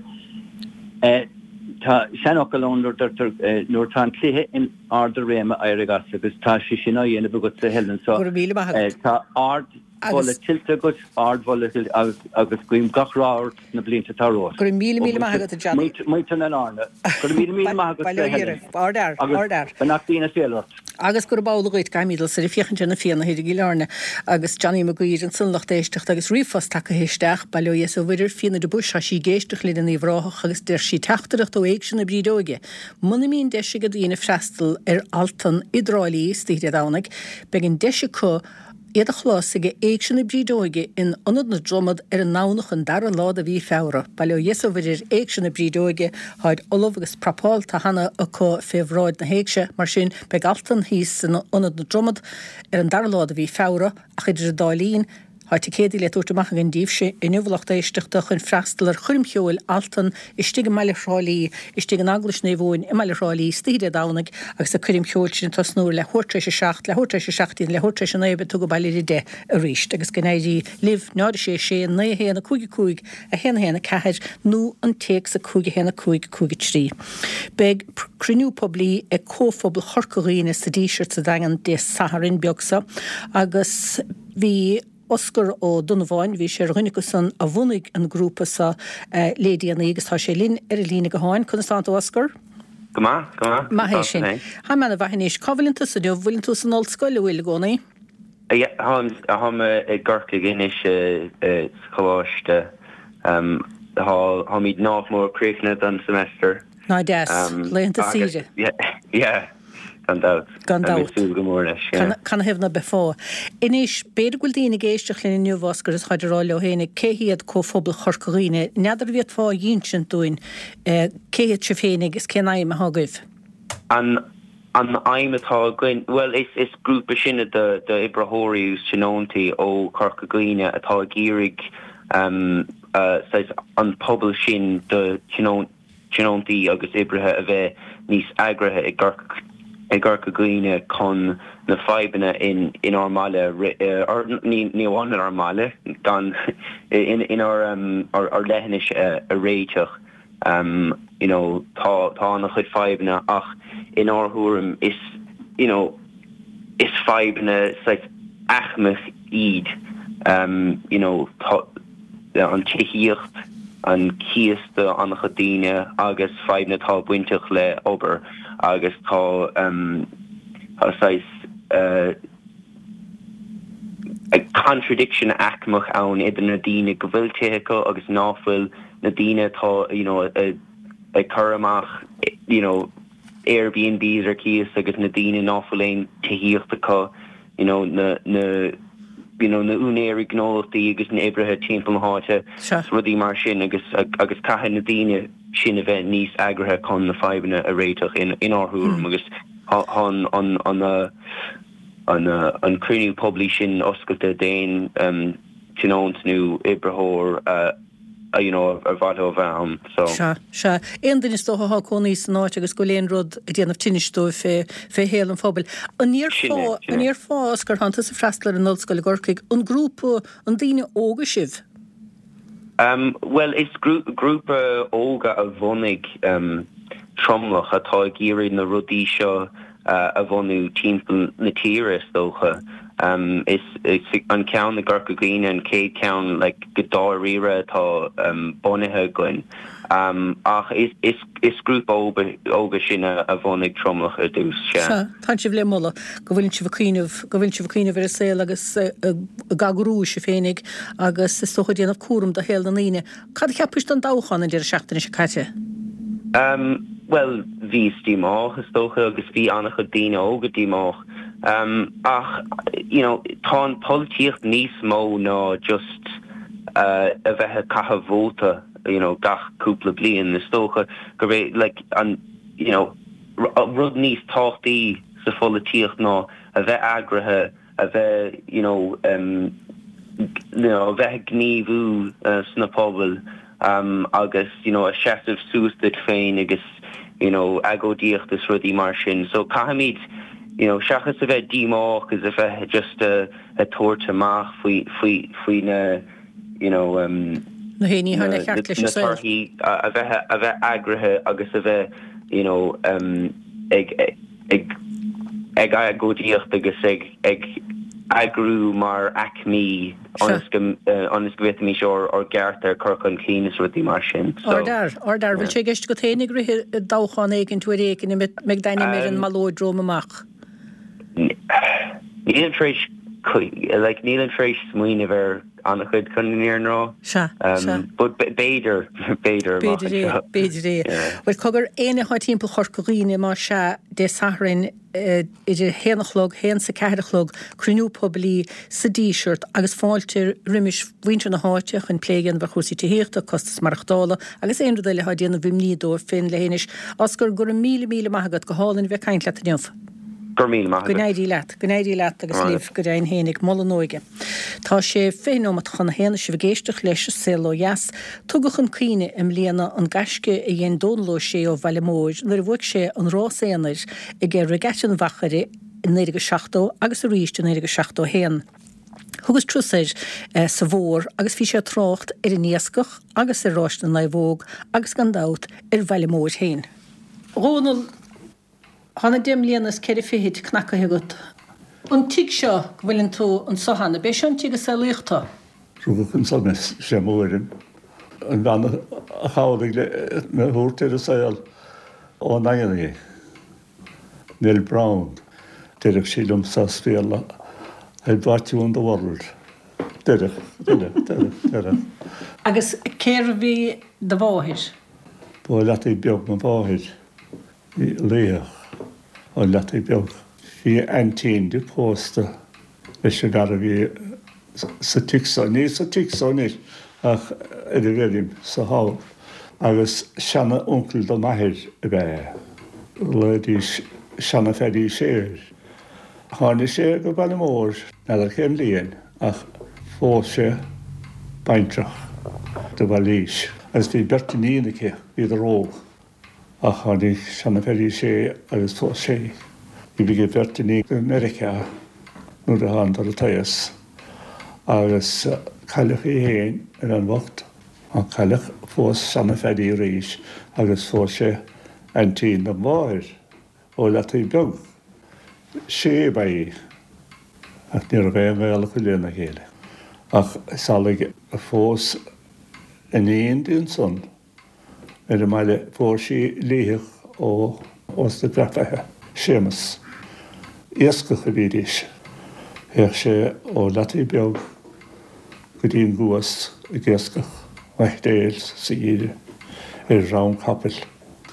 G: Tá seanfhocal ann nuair deirtear nuair atá an cluiche in ard a réime éirigh as agus tá sé sin á dhéanamh agatsa Helen so
A: Go raibh míle maith agat.
G: tá ard Ardmholadh tuillte agat, ardmholadh tuillte agus agus guím gach rath ort sna blianta atá romhat.
A: Go raibh míle míle maith agat, a Johnny.
G: Muintir na Lárna. Go raibh míle míle maith agat,
A: Bail ó Dhia oraibh. Ardfhear,
G: Agus
A: ardfhear.
G: beannachtaí na féile ort.
A: Agus gurb amhlaidh dhuit, caithfimid dul soir ag féachaint ar na Fianna thoir i gCill Airne agus Johnny Mac Guidhir ansan lucht éisteachta agus ríomhphost tagtha isteach, Bail ó Dhia is ó Mhuire ar Fíona de Buis, tá sí ag éisteacht linn in Uíbh Ráthach agus deir sí teachtaireacht ó Éigse na Brídeoige, Muna mbíonn deis ag daoine freastal ar Altan i dTrá Lí istoíche Dé Domhnaigh, beidh an deis acu iad a chlos ag Éigse na Brídeoige in Ionad na Dromad ar an nDomhnach an dara lá de mhí Feabhra. Bail ó Dhia is ó Mhuire ar Éigse na Brídeoige, táid ullamh agus prapálta cheana acu fé bhráid na héigse, mar sin beidh Altan thíos in Ionad na Dromad ar an dara lá de mhí Feabhra, ach idir an dá linn, Tá ticéadaí le tabhairt amach againn daoibhse inniu a lucht éisteachta chun freastal ar choirm cheoil Altan istigh i mbaile Thrá Lí, istigh in Eaglais Naomh Eoin i mbaile Thrá Lí istoíche Dé Domhnaigh agus an coirm cheoil sin ag tosnú ar leathuair tar éis a seacht, leathuair tar éis a seacht déag, leathuair tar éis a naoi beidh tú abhaile ar a deich arís agus go n-éirí libh, náid a sé sé, naoi a haon a cúig a cúig, a haon a haon a ceathair nó an téacs a cúig a haon a cúig cúig a trí. Beidh cruinniú poiblí ag Comhphobal Chorca Dhuibhne sa Díseart sa Daingean Dé Sathairn beag seo agus bhí Osgur Ó Donnabháin, bhí sé ar dhuine acu san a bhunaigh an grúpa seo le déanaí agus tá sé linn ar an líne gutháin. Conas tánn tú Osgur?
H: Go maith, go maith.
A: Maith é sin. Táim ana-mhaith anois. Cá bhfuileann tusa inniu? Bhfuileann tú san ollscoil, an bhfuil i gcónaí?
H: Yeah, táim táim i gCorcaigh anois sa choláiste. Tá táimid nach mór críochnaithe don semester.
A: Ná deas. Laethanta saoire.
H: Yeah. Gan dabht.
A: Gan dabht.
H: Ag súil go mór leis, yeah.
A: Canathaobh ná beifeá. Anois, b'fhéidir go bhfuil daoine ag éisteacht linn inniu, Osgur, is táid ag rá leo féinig, cé hiad Comhphobal Chorca Dhuibhne? N'fheadar an bhféadfá a dh'insint dúinn cé hiad sibh féinig is cén aidhm atá agaibh?
H: An an aidhm atá againn, bhuel, is is grúpa sinne de d'oibritheoirí agus tionóntaí ó Chorca Dhuibhne atá ag iarraidh saghas an pobal sin de thionóntaí tionóntaí agus oibrithe a bheith níos eagraithe i gCorca Dhuibhne chun na fadhbanna in inár mbaile, or ní amháin inár mbaile, gan inár ár leithinis a réiteach. You know tá tá an-chuid fadhbanna ach inár thuairim is you know is fadhbanna saghas aicmeach iad. You know tá an tithíocht, an cíos do an-chuid daoine agus fadhbanna atá bainteach le obair agus tá tá saghas contradiction aicmeach ann idir na daoine go bhfuil tithe acu agus ná fuil, na daoine atá you know ag cur amach you know Airbnbs ar cíos agus na daoine ná fuil aon tithíocht acu. you know na na you know na úinéirí gnólachtaí agus na oibrithe timpeall na háite
A: Sea.
H: rudaí mar sin agus agus caithfidh na daoine sin a bheith níos eagraithe chun na fadhbanna a réiteach in inár thuairim agus tá an an an an an cruinniú poiblí sin oscailte d'aon tionónt nó oibritheoir a you know, ar mhaith leo a bheith ann. So.
A: Sea, sea. Aon duine is dócha atá ag cónaí san áit agus go bhfuil aon rud ag déanamh tinnis dóibh fé, fé shaol an phobail. An
H: Sin é,
A: ndéarfá,
H: sin
A: an
H: é.
A: ndéarfá, Osgur, tánn tusa ag freastal ar an ollscoil i gCorcaigh, an grúpa, an daoine óga sibh?
H: Um, bhuel, is grúpa óga a bhunaigh um, tromlach atá ag iarraidh na rudaí seo a bhunú timpeall na tíre, is dócha. Is an ceann i gCorca Dhuibhne an chéad cheann like go dáiríre atá bunaithe againn. Ach is grúpa óga sinn a bhunaigh Tromlach ar dtús, sea.
A: Sea, tá sibh le moladh go bhfuileann sibh ag cuimhneamh, go bhfuileann sibh ag cuimhneamh ar an saol agus ag eagrú sibh féinig agus is dócha ag déanamh cúram do shaol na ndaoine. Cad a cheapais den dtoghchán an deireadh seachtaine seo caite?
H: Bhuel, bhíos díomách, is dócha, agus bhí an-chuid daoine óga díomách. Ach, you know, tá an polaitíocht níos mó ná just a bheith ag caitheamh vóta, you know, gach cúpla bliain. Is dócha gurb é, like, an, you know, rud níos tábhachtaí sa pholaitíocht ná a bheith eagraithe, a bheith you know you know a bheith ag gníomhú sna pobail agus you know a seasamh suas duit féin agus you know agóidíocht is rudaí mar sin. So caithfimid you know seachas a bheith díomách agus a bheith just a tabhairt amach faoi faoi faoi na you know
A: na héinní thar na cheart leis
H: na
A: an saol.
H: torthaí a bheith a bheith eagraithe agus a bheith you know ag ag ag agóidíocht agus ag ag eagrú mar aicmí ionas go ionas go bhféadfaimis ár ár gcearta a chur chun cinn is rudaí mar sin. So
A: Ardfhear, ardfhear, bhfuil sé i gceist agat féin ag rith i dtoghchán éigin uair éigin a mbeidh d'ainm ar an mballóid romham amach?
H: Nílim tar éis like nílim tar éis smaoineamh ar an-chuid chun an fhírinne a rá.
A: Sea, sea.
H: But b'fhéidir, b'fhéidir amach
A: B'fhéidir é,
H: anseo.
A: b'fhéidir é.
H: Yeah.
A: Bhuel cogar éinne atá timpeall Chorca Dhuibhne má sea Dé Sathairn idir haon a chlog, haon is a ceathair a chlog, cruinniú poiblí sa Díseart agus fáilte roimis mhuintir na háite chun plé a dhéanamh ar chúrsaí tithíochta, costas maireachtála agus aon rud eile atá ag déanamh imní dóibh féin leithinis. Oscar, go raibh míle míle maith agat go hálainn a bheith ag caint leat inniu.
H: Go raibh míle maith
A: Go
H: agat.
A: n-éirí leat, go n-éirí leat agus
H: Maith
A: libh go deimhin féinig Moladh na hÓige. Tá sé fiche nóiméad chun a haon sibh ag éisteacht leis Saol Ó Dheas. Tugadh chun cuimhne i mbliana an gaisce a dhein Dónal Ó Sé ó Bhaile Móir nuair a bhuaigh sé an rás aonair ag Regatta an Mhachaire i naoi déag seachtó agus arís i naoi déag seachtó haon. Thugas turas air eh, sa Mhór agus bhí sé ag trácht ar an iascach agus ar Ráis na Naomhóg agus gan dabht ar Bhaile Móir féin. Dhónal Tá na deich mbliana is ceithre fichid cnacaithe agat. An tigh seo go bhfuileann tú anseo cheana, b'é seo an tigh a saolaíodh tú.
I: Rugadh anso mé sé mo thuairim. An bhean a chabhraigh le mé a thabhairt ar an saol ón nDaingean í. Nell Brown, deireadh sí liomsa as Béarla, I brought you in the world. Deireadh, deireadh, deireadh, deireadh.
A: Agus cérbh í do mháthair?
I: Ba Leataobh Beag mo mháthair, bhí laoch ó Leataobh Beag. Bhí aintín di pósta leis an bhfear a bhí sa tigh so, ní sa tigh so anois ach ar an bhfeirm sa thall, agus seana-uncail do m'athair ab ea é. Ghlaoidís seana-Phaddy Sé air. Tháinig sé go Baile Móir, n'fheadar cén bhliain, ach phós sé baintreach de Bhailís. Agus bhí beirt iníon aici, bhíodar óg. Ach tháinig seana-Phaddy Sé agus phós sé í. Bhí aige beirt iníon i Meiriceá nuair a thánadar an t-aos. Agus cailleadh í féin ar an bhocht, ach cailleadh phós seana-Phaddy arís agus phós sé aintín dom mháthair ó Leataobh Beag. Sé ba í, ach ní raibh aon ghaol acu lena chéile. Ach is amhlaidh a phós iníon di ansan ar an mbaile, fuair sí liathach ó Ósta Grafaithe, Séamus. Iascach a bhídís. Théadh sé ó Leataobh Beag go dtí an gCuas ag iascach maicréil sa gheimhreadh ar dhroim capaill.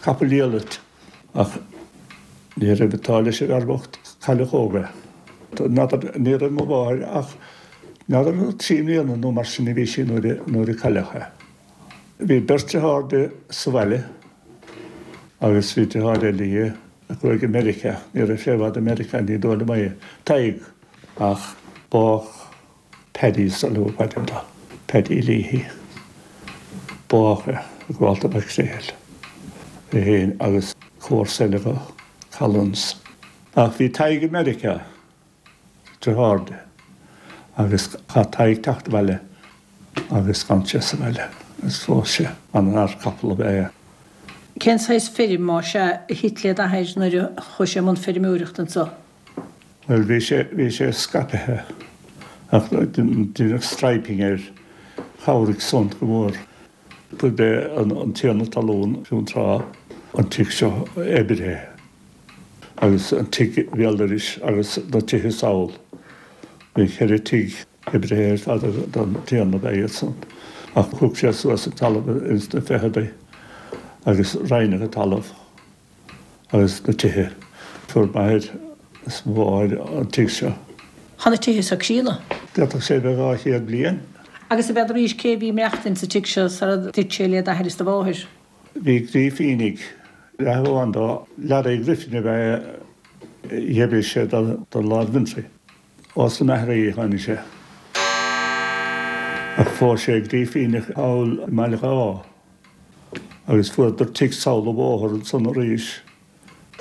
I: Capall diallait ach ní raibh an t-ádh leis an bhfear bocht cailleadh óg é. N'fheadar, ní raibh mo mháthair ach n'fheadar trí mbliana nó mar sin a bhí sí nuair a nuair a cailleadh é. Bhí beirt dearthár di sa bhaile agus bhí deartháir eile aici a chuaigh go Meiriceá. Ní raibh sé i bhfad i Meiriceá, ní dóigh liom é. Tadhg ach bádh Paddy sa luath b'ainm dó. Paddy Leahy. Bádh é i gComhalta Mhic É féin agus comharsa eile dó, Collins. Ach bhí Tadhg i Meiriceá, deartháir di, agus chaith Tadhg teacht abhaile agus d'fhan sé sa bhaile agus phós sé an-fhear capall ab ea é.
A: Cén saghas feirm má sea a thit le d'athair nuair a chuaigh sé i mbun feirmeoireachta anseo?
I: Bhuel bhí sé bhí sé scaipthe ach deineadh striping air, chabhraigh san go mór. Ba é an an tiarna talún fiú an tráth an tigh seo oibrithe agus an tigh béal dorais agus na tithe sall. Bhí ceithre tigh oibrithe ar fad don tiarna ba iad san. Ach thug sé suas an talamh ins na fichidí agus roinneadh an talamh agus na tithe. Fuair m'athair is mo mháthair an tigh seo.
A: Tá na tithe seo críonna.
I: D'fhéadfadh sé bheith dhá chéad bliain.
A: Agus a bhead arís cé a bhí ag maireachtaint sa tigh seo sara dtit sé le d'athair is do mháthair?
I: Bhí Grífínigh, leath amháin dó, Larry Griffin ab ea é, d'oibrigh sé do Lord Ventry. Ós na Maithearaí a tháinig sé. Ach phós sé Grífíneach thall i mBaile Dháith agus fuaireadar tigh sall an bhóthar ansan arís.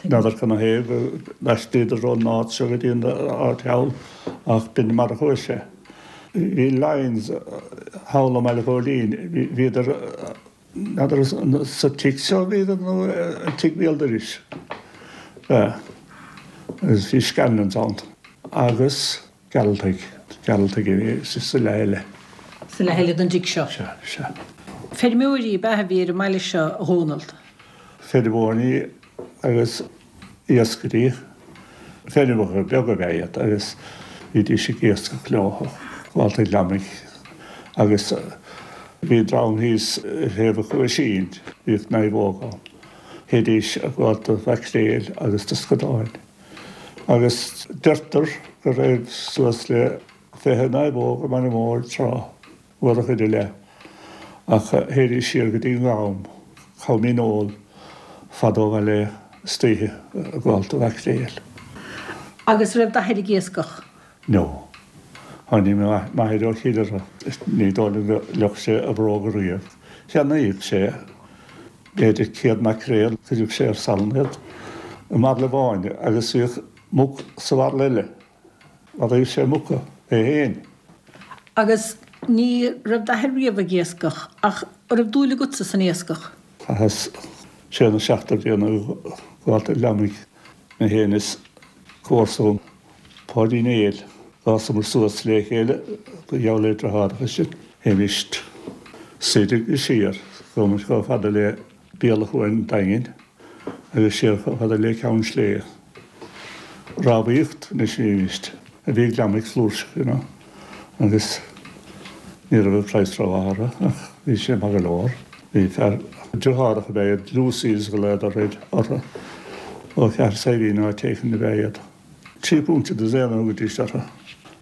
I: N'fheadar cad 'na thaobh go n-aistríodar ón áit seo go dtí an áit thall ach b'in mar a chuaigh sé. Bhí Lyons thall i mBaile Ghóilín, bhíodar, n'fheadar sa tigh seo a bhíodar nó an tigh béal dorais. Agus bhí Scanlons ann. Agus Gearaltaigh, Gearaltaigh a bhí sa leath eile.
A: Sa leath eile den dtigh seo?
I: Sea, sea.
A: Feirmeoirí ab ea a bhí ar an mbaile seo, a Dhónaill?
I: Feirmeoirí agus iascairí. Feirmeoirí beaga ab ea iad agus bhídís ag iascach leo, gabháil do ghliomaigh agus bhí dream thíos ar thaobh an Chuaisín, bhíodh naomhóg ann. Théidís ag gabháil do mhaicréil agus do scadáin. Agus deirtear go raibh suas le fiche naomhóg i mBaile Móir tráth, uair a chuid i leith, ach théidís siar go dtí an Gam, Com Dhíneol, fada ó bhaile istoíche ag gabháil do mhaicréil.
A: Agus raibh d'athair ag iascach?
I: No. Tháinig m'athair ó Chill Dara. Ní dóigh liom gur fhliuch sé a bhróga riamh. Cheannaíodh sé b'fhéidir céad maicréal, chuireadh sé ar salann iad i mbairille amháin agus bhíodh muc sa bhairille eile. Mharaíodh sé muca é féin.
A: Agus ní raibh d'athair riamh ag iascach, ach an raibh dúil agatsa san iascach?
I: Chaitheas sé nó seacht de bhlianta ag gabháil do ghliomaigh, mé féin is comharsa Páidí Néill. D'fhásamar suas le chéile ba gheall le deartháireacha sinn. Théimis soir agus siar, chuamar chomh fada le Béal an Chuain Daingin agus siar chomh fada le Ceann Sléibhe. Rámhaíocht anois a bhímist, a bhí gliomaigh flúirseach, you know, agus ní raibh an praghas rómhaith orthu ach bhí sé maith go leor. Bhí fear, deartháireacha ab ea iad, Lucys a ghlaodar orthu, ó Cheathair Saidhbhín áit éicint ab ea iad. Trí phunt an dosaen a thugaidís orthu.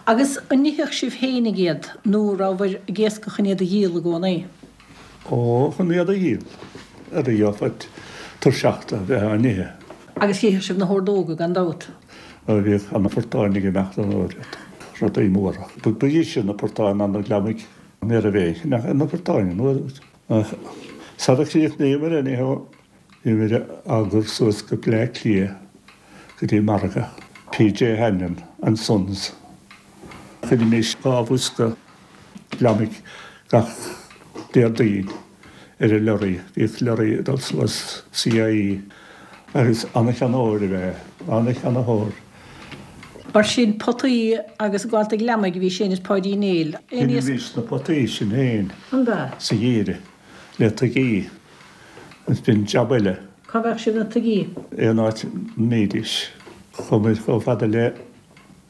A: Agus an n-itheadh sibh fhéinig iad nó rabhabhair ag iascach chun iad a dhíol i gcónaí?
I: Ó, chun iad a dhíol. Ar a gheofá tuirseach de bheith á n-ithe.
A: Agus dh'itheadh sibh na hordóga gan dabht?
I: Ó, bhíodh ana phortáin ag imeacht an uair úd. Rudaí móra. Ba dheise na portáin ná na gliomaigh. Ní raibh aon cheannach ar na portáin an uair úd. Ach sara chríochnaíomar anyhow, Bhíomar á gcur suas go Bleá Cliath go dtí margadh PJ Hanlon and Sons. Chuirimís dhá bhosca gliomaigh gach Déardaoin ar an lorry. Bhíodh lorry ag dul suas CIE agus ana-cheannaitheoir ab ea é, ana-cheannaitheoir.
A: Mar sin, potaí agus gabháil do ghliomaigh a bhí Séamus Páidí Néill.
I: Dheinimís na potaí sin féin
A: An b'ea?
I: sa gheimhreadh le tuigí. Agus b'in jab eile.
A: Cá bhfaigheadh sibh na tuigí?
I: Aon áit a mbídís. Chuaigh muid chomh fada le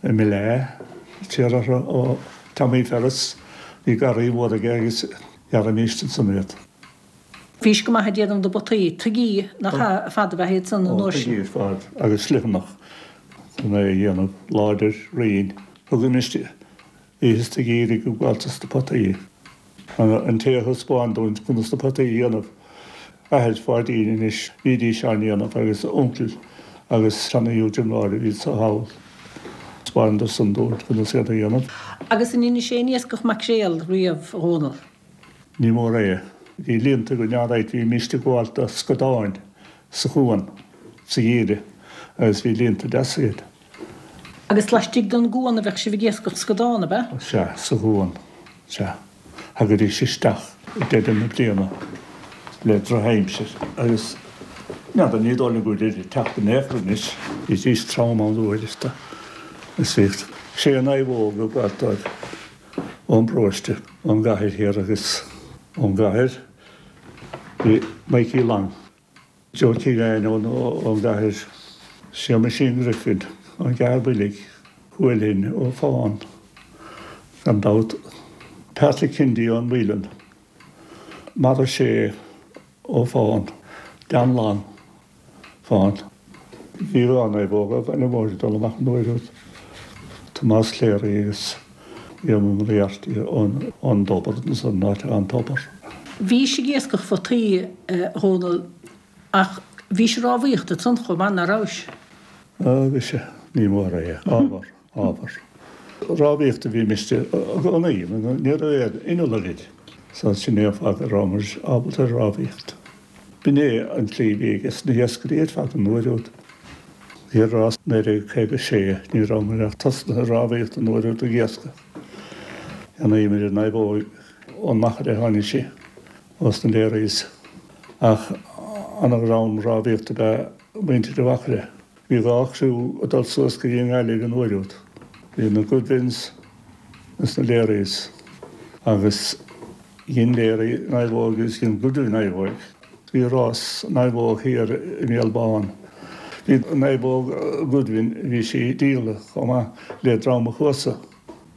I: Milleagh, thiar orthu ó Tommy Ferris. Bhí garraí mhór aige agus ghearraimíst ansan iad.
A: Bhís go maith ag déanamh na bpotaí, tuigí nach ea ar fad ab ea iad san an
I: Ó,
A: uair sin.
I: tuigí ar fad agus slitheanach chun é a dhéanamh láidir, righin. Thugaimist Bhíothas ag iarraidh go gabháltas na potaí. An té a thaispeáin dúinn conas na potaí a dhéanamh, athair Pháidín anois, bhídís á ndéanamh agus a uncail agus seana-Hugh Jim Láir a bhí anso thall. Thaispeánadar san dúinn conas iad a dhéanamh.
A: Agus an ndeinis aon iascach maicréal riamh, a Dhónaill?
I: Ní mór é. Bhí líonta againn alright, bhímíst ag gabháil do scadáin sa chuan sa gheimhreadh agus bhí líonta deasa againn.
A: Agus laistigh den gcuan a bheadh sibh ag iascach scadán, ab ea?
I: Sea, sa gcuan, sea. Thagaidís isteach ag deireadh na bliana le drochaimsir agus n'fheadar, ní dóigh liom go bhfuilid ag teacht in aon chor anois. Bhídís trom ann uaireanta agus bhíodh sé naomhóg ag gabháil dóibh ón bparóiste, ón gcathair thiar agus ón gcathair bhí Mikey Long. Joe Keegan ón gcathair, Séamaisín Griffin ón gCeathair Builg, Huelin ó Fán, gan dabht, Patrick Kennedy ón Mhuileann, Maura Shea ó Fán, Dan Long, Fán. Bhí dhá naomhóg ó Bhaile Móir ag dul amach an uair úd, Tomás Cléirigh agus Éamonn Moriarty ón dTobar, ansan, an áit atá an tobar.
A: Bhís ag iascach photaí, a Dhónaill, Ach bhís ag rámhaíocht ansan chomh maith, ná rabhais?
I: Á, bhí sé. Ní mór é. Ábhar. Ábhar. Rámhaíocht a bhímist i gcónaí. Ní raibh aon inneall againn. So sin é an fáth go rabhamar ábalta ar rámhaíocht. B'in é an tslí a bhí ages na hiascairí ar fad an uair úd. Thiar i naoi déag caoga sé, ní rabhamar ach tosnaithe ag rámhaíocht an uair úd ag iascach. Cheannaíomar an naomhóg ón Machaire a tháinig sí. Ós na Learys. Ach ana-dhream rámhaíochta ab ea muintir an Mhachaire. Bhí dhá chriú ag dul suas go dtí an nGaillimh an uair úd. Bhí na Goodwins is na Learys agus dhein Leary naomhóg agus dhein Goodwin naomhóg. Bhí rás naomhóg thiar i mBéal Bán. Bhí naomhóg Goodwin, bhí sí díolta chomh maith le Dream an Chuasa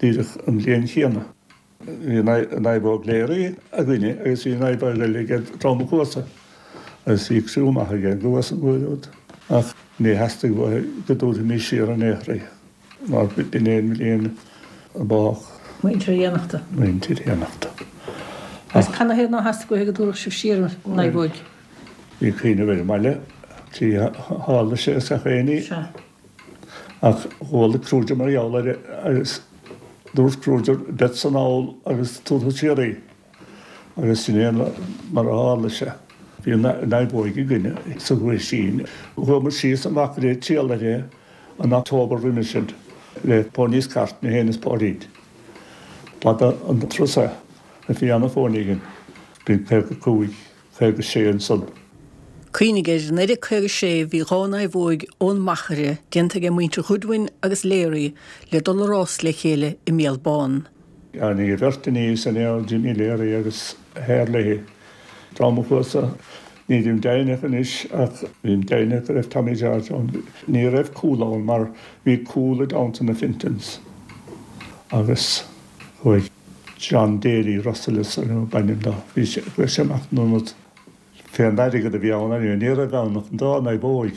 I: díreach an bhliain chéanna. Bhí naomhóg Leary againne agus bhí naomhóg eile ag Dream an Chuasa agus bhí criú maith ag an gCuas an uair úd. Ach ní theastaigh uathu go dtabharfaimis siar in aon chor í mar b'in é an bhliain a bádh.
A: Muintir Fhiannachta.
I: Muintir Fhiannachta.
A: Agus canathaobh nár theastaigh uathu go dtabharfadh sibh siar an naomhóg?
I: Bhí cuimhneamh ar an mbaile, trí tharla sé is gach aon ní.
A: Sea.
I: Ach chuala Kruger mar gheall air agus dúirt Kruger, beadsa anall agus tabharfad siar í. Agus sin é mar a tharla sé. Bhí naomhóig againne sa Ghuaisín. Chuaigh muid síos an Mhachaire ag triall uirthi an October roimhe sin le ponies cart, mé féin is Páidín. B'fhada an turas é. Bhí ana-phóiní againn. Bhí caoga cúig, caoga sé ansan.
A: Cuimhnigh air, naoi déag caoga sé bhí dhá naomhóig ón Machaire déanta ag muintir Ghoodwin agus Leary le dul a rás le chéile i mBéal Bán.
I: Tháinig an bheirt aníos an Earl Jimmy Leary agus Herlihy. Dream an Chuasa, nílim deimhneach anois ach bím deimhneach go raibh Tommy George ann. Ní raibh cúl ann mar bhí cúl i dteannta na Fintons agus chuaigh John Daly, Russell is ab ainm dó, bhí sé, chuaigh sé amach in ionad fén airgead a bhí ann anyway, ní raibh ann ach an dá naomhóig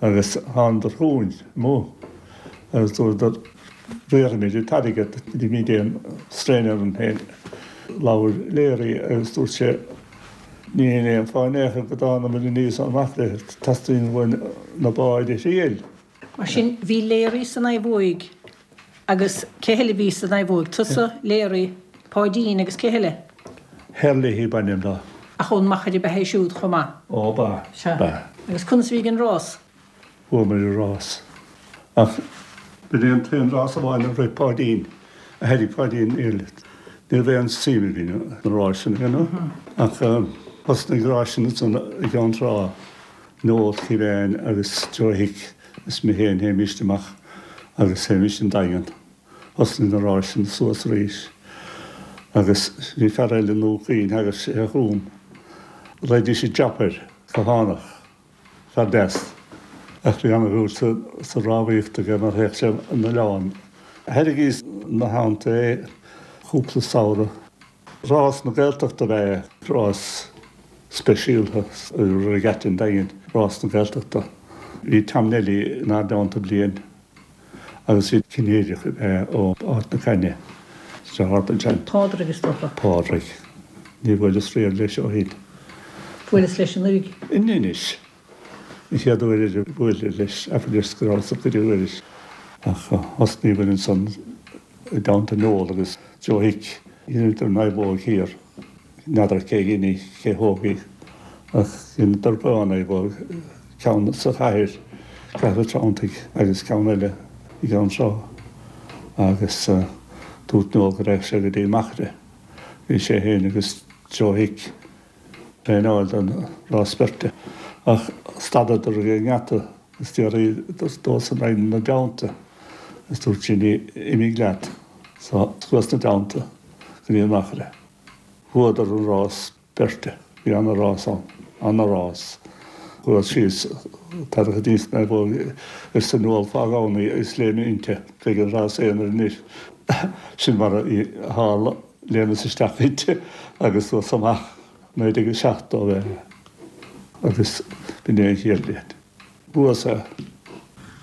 I: agus thánadar chugainn amuigh agus dúradar riarfaimid an t-airgead, ní bhímid aon strain orainn féin. Labhair Leary agus dúirt sé níl aon fáth in aon chor go dtánamar aníos ón Mhachaire, teastaíonn uainn na báid a thriail.
A: Mar sin, bhí Leary sa naomhóig Agus cé heile a bhí sa naomhóig? Tusa, Leary, Páidín agus cé heile?
I: Herlihy ab ainm dó.
A: Ach ón Machaire ab ea é siúd chomh maith?
I: Ó, ba.
A: Sea.
I: Ba.
A: Agus conas a bhí ag an rás?
I: Bhuamar an rás. Ach b'in é an t-aon rás amháin a rith Páidín, a thairg Páidín níl, ní raibh aon suim againn sna ráiseanna, you know. Ach thosnaigh ráiseanna ansan i gCeann Trá, Noel Kevane agus Joe Hick is mé féin, théimíst amach agus théimís an Daingean. Thosnaigh na ráiseanna suas arís agus bhí fear eile i nDún Chaoin, thagadh sé chugam, ghlaoidís an Jap air, Cathánach, fear deas, ach bhí ana-dhúil sa rámhaíocht aige mar théadh sé an oileán. Thairgíos ina theannta é cúpla samhradh. Rás na Gaeltachta ab ea é, rás speisialta i Regatta an Daingin, Rás na Gaeltachta. Bhí Tom Neilí inár dteannta bliain agus bhí Cinnéideach ab ea ó Áth na Caithne sa thart ansin.
A: Pádraig is dócha.
I: Pádraig. Níor bhuaileas riamh leis ó shin.
A: Bhuaileas leis anuraidh.
I: In Inis. An chéad uair a bhuaileas leis, abair leis go rabhas ag cuidiú air. Ach thosnaíomar ansan i dteannta Noel agus Joe Hick. Dheineadar naomhóg thiar. N'fheadar cé dhein í, cé thóg í, ach dheineadar dhá naomhóg, ceann sa chathair, Cathair an Treanntaigh, agus ceann eile i gCeann Trá. Agus dúirt Noel go raghadh sé go dtí Machaire. Bhí sé féin agus Joe Hick ag traenáil don rás beirte. Ach stadadar ag an ngeata agus d'fhiafraíodar dósan raghainn ina dteannta agus dúirt Jimmy, imigh leat. So chuas ina dteannta go dtí an Machaire. Bhuadar an rás beirte. Bhí ana-rás ann. Ana-rás. Chuas síos, tarrac aníos an naomhóg arsa Noel fág ann í agus léim inti. Beidh an rás aonair anois. Sin mar a tharla. Léimeas isteach inti agus suas amach. Naoi déag a seachtó ab ea é. Agus b'in é an chéad bhliain. Bhuas é.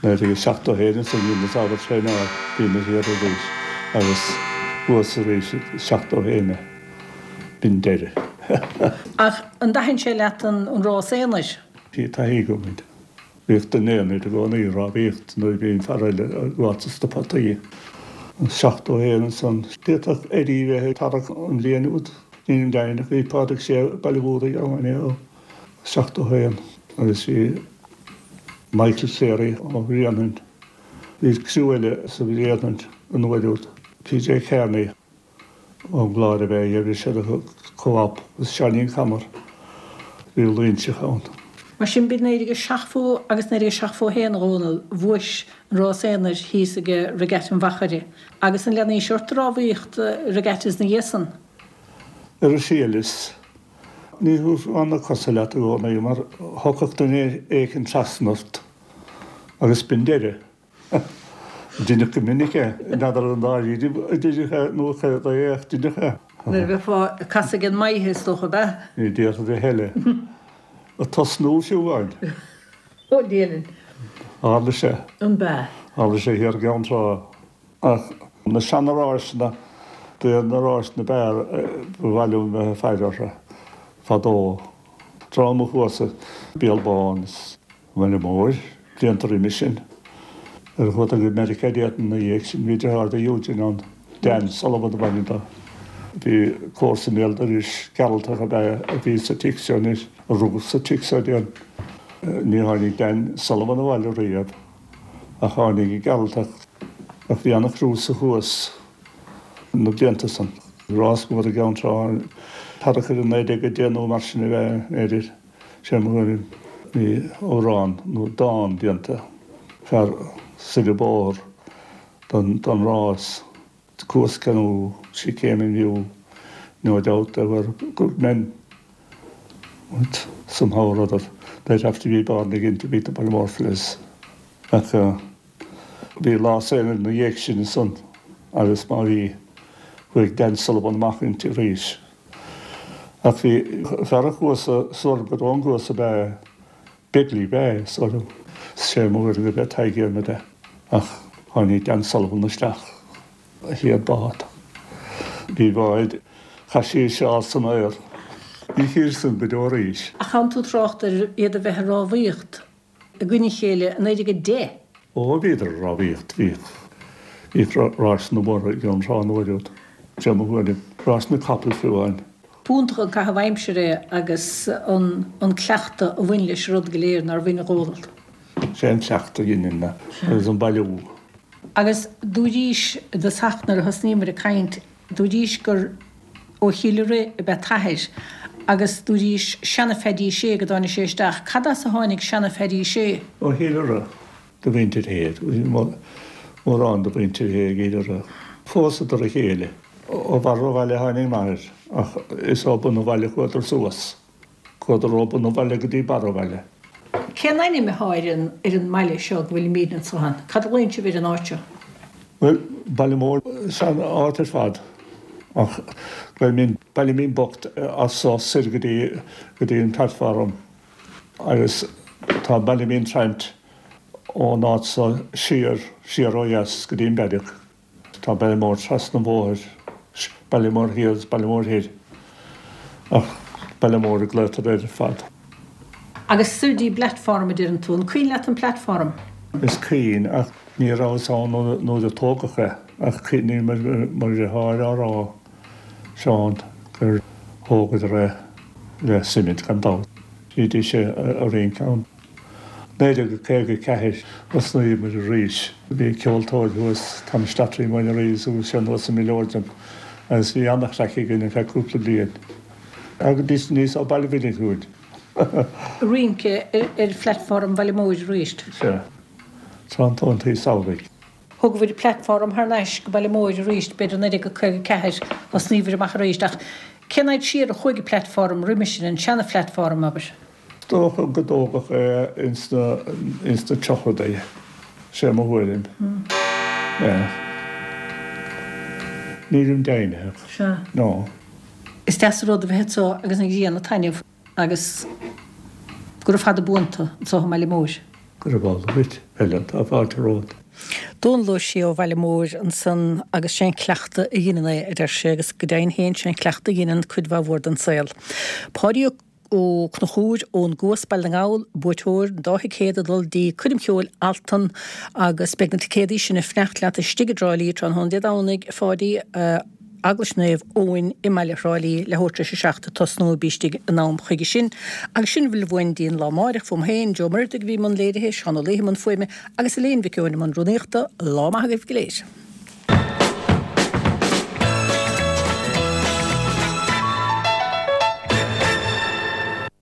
I: Naoi déag seachtó a haon ansan dheineas ábhar traenáil bhíomar thiar arís agus bhuas arís i seachtó a haon é. B'in deireadh.
A: Ach an dtaithin sé leat an rás aonair?
I: Bhí taithí agam air. Bhíodh duine aonair i gcónaí ag rámhaíocht nuair a bhí an fear eile ag gabháil sna potaí. Seachtó a haon ansan. D'fhéadfadh Eddie bheith ag tarrac an bhliain úd. Nílim deimhin ach bhí Pádraig Sé Baile Mhúraigh ann é. seachtó a haon agus bhí Michael Cleary ó Bhréanainn. Bhí criú eile sa Bhréanainn an uair úd, PJ Kearney ón gClár ab ea é, bhí siad i Co-op agus Seáinín Comer, bhí Loinseach ann.
A: Mar sin b'in naoi déag a seachtó agus naoi déag a seachtó a haon a Dhónaill, bhuais an rás aonair thíos ag Regatta an Mhachaire. Agus an leanaís ort rámhaíocht regattas na dhiaidh san?
I: Ar a shíleas, ní thabharfá na cosa leat i gcónaí mar thiocfadh duine éicint trasna ort agus b'in deireadh. Deineadh go minic é, n'fheadar an dáiríre a deineadh é nó céard é ach deineadh é.
A: Nuair a bheifeá ag casadh ag an maithe is dócha, ab ea?
I: Ní déarfad a thuilleadh. Ag tosnú fiú amháin.
A: Ó Dia linn.
I: Tharla sé.
A: An b'ea?
I: Tharla sé thiar i gCeann Trá. Ach na seana-ráiseanna, b'iad na ráiseanna b'fhearr ba mhaith liom bheith ag faire orthu fadó. Tráth mo chuasa, Béal Bán is Baile Móir, blianta roimis sin. Ar chuadar go Meiriceá déarfainn ina dhiaidh sin, bhí deartháir do Eugene ann, Dan Sullivan ab ainm dó. Bhí comharsa i mbéal dorais, Gearaltach ab ea a bhí sa tigh seo anois, a rugadh sa tigh seo déarfainn. Ní tháinig Dan Sullivan abhaile riamh ach tháinig an Gearaltach. Ach bhí ana-chúrsa thuas na blianta san. Rás mór i gCeann Trá, thart ar naoi déag a deich nó mar sin ab ea, b'fhéidir. Sé mo thuairim, bhí amhrán nó dán déanta, fear soir an bóthar don don rás, The Cuas Canoe, she came in view, no doubt there were good men but somehow or other they'd have to be born again to beat the Balliemore fellas. Ach bhí rás aonair ina dhiaidh sin ansan agus má bhí, chuaigh Dan Sullivan amach inti arís. Ach bhí fear a chuas soir go ón gCuas ab ea Begley ab ea, is dóigh liom. Sé mo thuairim gurb é Tadhg Diarmaid é. Ach tháinig Dan Sullivan isteach a chéad bád. Bhí báid, chaith sí seal san aer. Ní chíos san go deo arís.
A: Ach tánn tú ag trácht ar iad a bheith ag rámhaíocht i gcoinne a chéile i naoi déag a deich.
I: Ó, bhíodar ag rámhaíocht, bhíodh. Bhíodh ráiseanna móra i gCeann Trá an uair úd, sé mo thuairim. Ráiseanna capall fiú amháin.
A: B'iontach an caitheamh aimsire é agus an cleachtadh a bhain leis an rud go léir nár bhain a Dhónaill.
I: Sé an cleachtadh a dheineann é agus an bailiú.
A: Agus dúraís i dtosach nuair a thosnaíomar ag caint, dúraís gur ó Chill Rith ab ea t'athair agus dúraís seana-Pheaidí Sé go dtáinig sé isteach. Cad as a tháinig seana-Pheaidí Sé?
I: Ó Chill Rith do mhuintir Shé. Bhí mórán de mhuintir Shé i gCill Rith. Phósadar a chéile. Ó bharr an bhaile a tháinig m'athair ach is ó bun an bhaile a chuadar suas. Chuadar ó bun an bhaile go dtí barr an bhaile.
A: Cén ainm atá ar an ar an mbaile seo go bhfuilimíd anso ann? Cad a ghlaonn sibh ar an áit seo?
I: Bhuel, Baile Móir is ea an áit ar fad ach Baile Baile Mín Bocht as so soir go dtí go dtí an platform agus tá Baile Mín Traint ón áit so siar siar ó dheas go dtí an Beairic. Tá Baile Móir trasna an bhóthair, Baile Móir Thiar agus Baile Móir Thoir, ach Baile Móir a glaotar air ar fad.
A: Agus soir dtí bplatform a deireann tú. An cuimhin leat an platform?
I: Is cuimhin, ach ní rabhas ann nuair a tógadh é, ach cuimhním mo dheartháir á rá, Seán, gur thógadar é le suimint gan dabht. Bhídís ag rince ann. naoi déag caoga a ceathair, thosnaíomar arís. Bhí ceoltóir thuas, Tommy Slattery uainn arís agus sé anuas i Míleoirdean agus bhí an-chraic againn ar feadh cúpla bliain. Agus níos ó Baile Mhínigh chugainn.
A: Rince ar phlatform Bhaile Móir arís.
I: Sea. Tráthnóntaí samhraidh.
A: Thógabhair platform thar n-ais go Baile Móir arís, b'fhéidir naoi déag caoga a ceathair, thosnaíobhair amach arís. Ach cén fhaid siar a chuaigh an platform roimis sin, an seana-phlatform, abair?
I: Is dócha go dtógadh é ins na ins na tríochadaí, sé mo thuairim. Yeah. Nílim deimhnitheach.
A: Sea.
I: No.
A: Is deas an rud a bheith anso agus an ghrian ag taitneamh agus gura fada buan tú anso i mBaile Móir.
I: Gurab amhlaidh dhuit, Helen, tá fáilte romhat.
A: Dónal Ó Sé ó Bhaile Móir ansan agus sé an cleachtadh a dheineann é, a deir sé, agus go deimhin féin sé an cleachtadh a dheineann cuid mhaith mhór den saol. Páidí Ó. Ó Conchúir ón gCuas, Baile na nGall, buaiteoir an dá thicéad ag dul dtí Coirm Cheoil Altan agus beidh na ticéadaí sin ag fanacht leat istigh i dTrá Lí tráthnóna Dé Domhnaigh, a Pháidí, Eaglais Naomh Eoin i mbaile Thrá Lí, leathuair tar éis a seacht ag tosnú, bí istigh in am chuige sin. Agus sin a bhfuil uainn dtí an lá amáireach, fúm féin, Joe Muireadhaigh a bhí i mbun léirithe, Seán Ó Laoithe i mbun fuaime agus Elaine Mhic Eoin i mbun rúnaíochta. Lá maith agaibh go léir.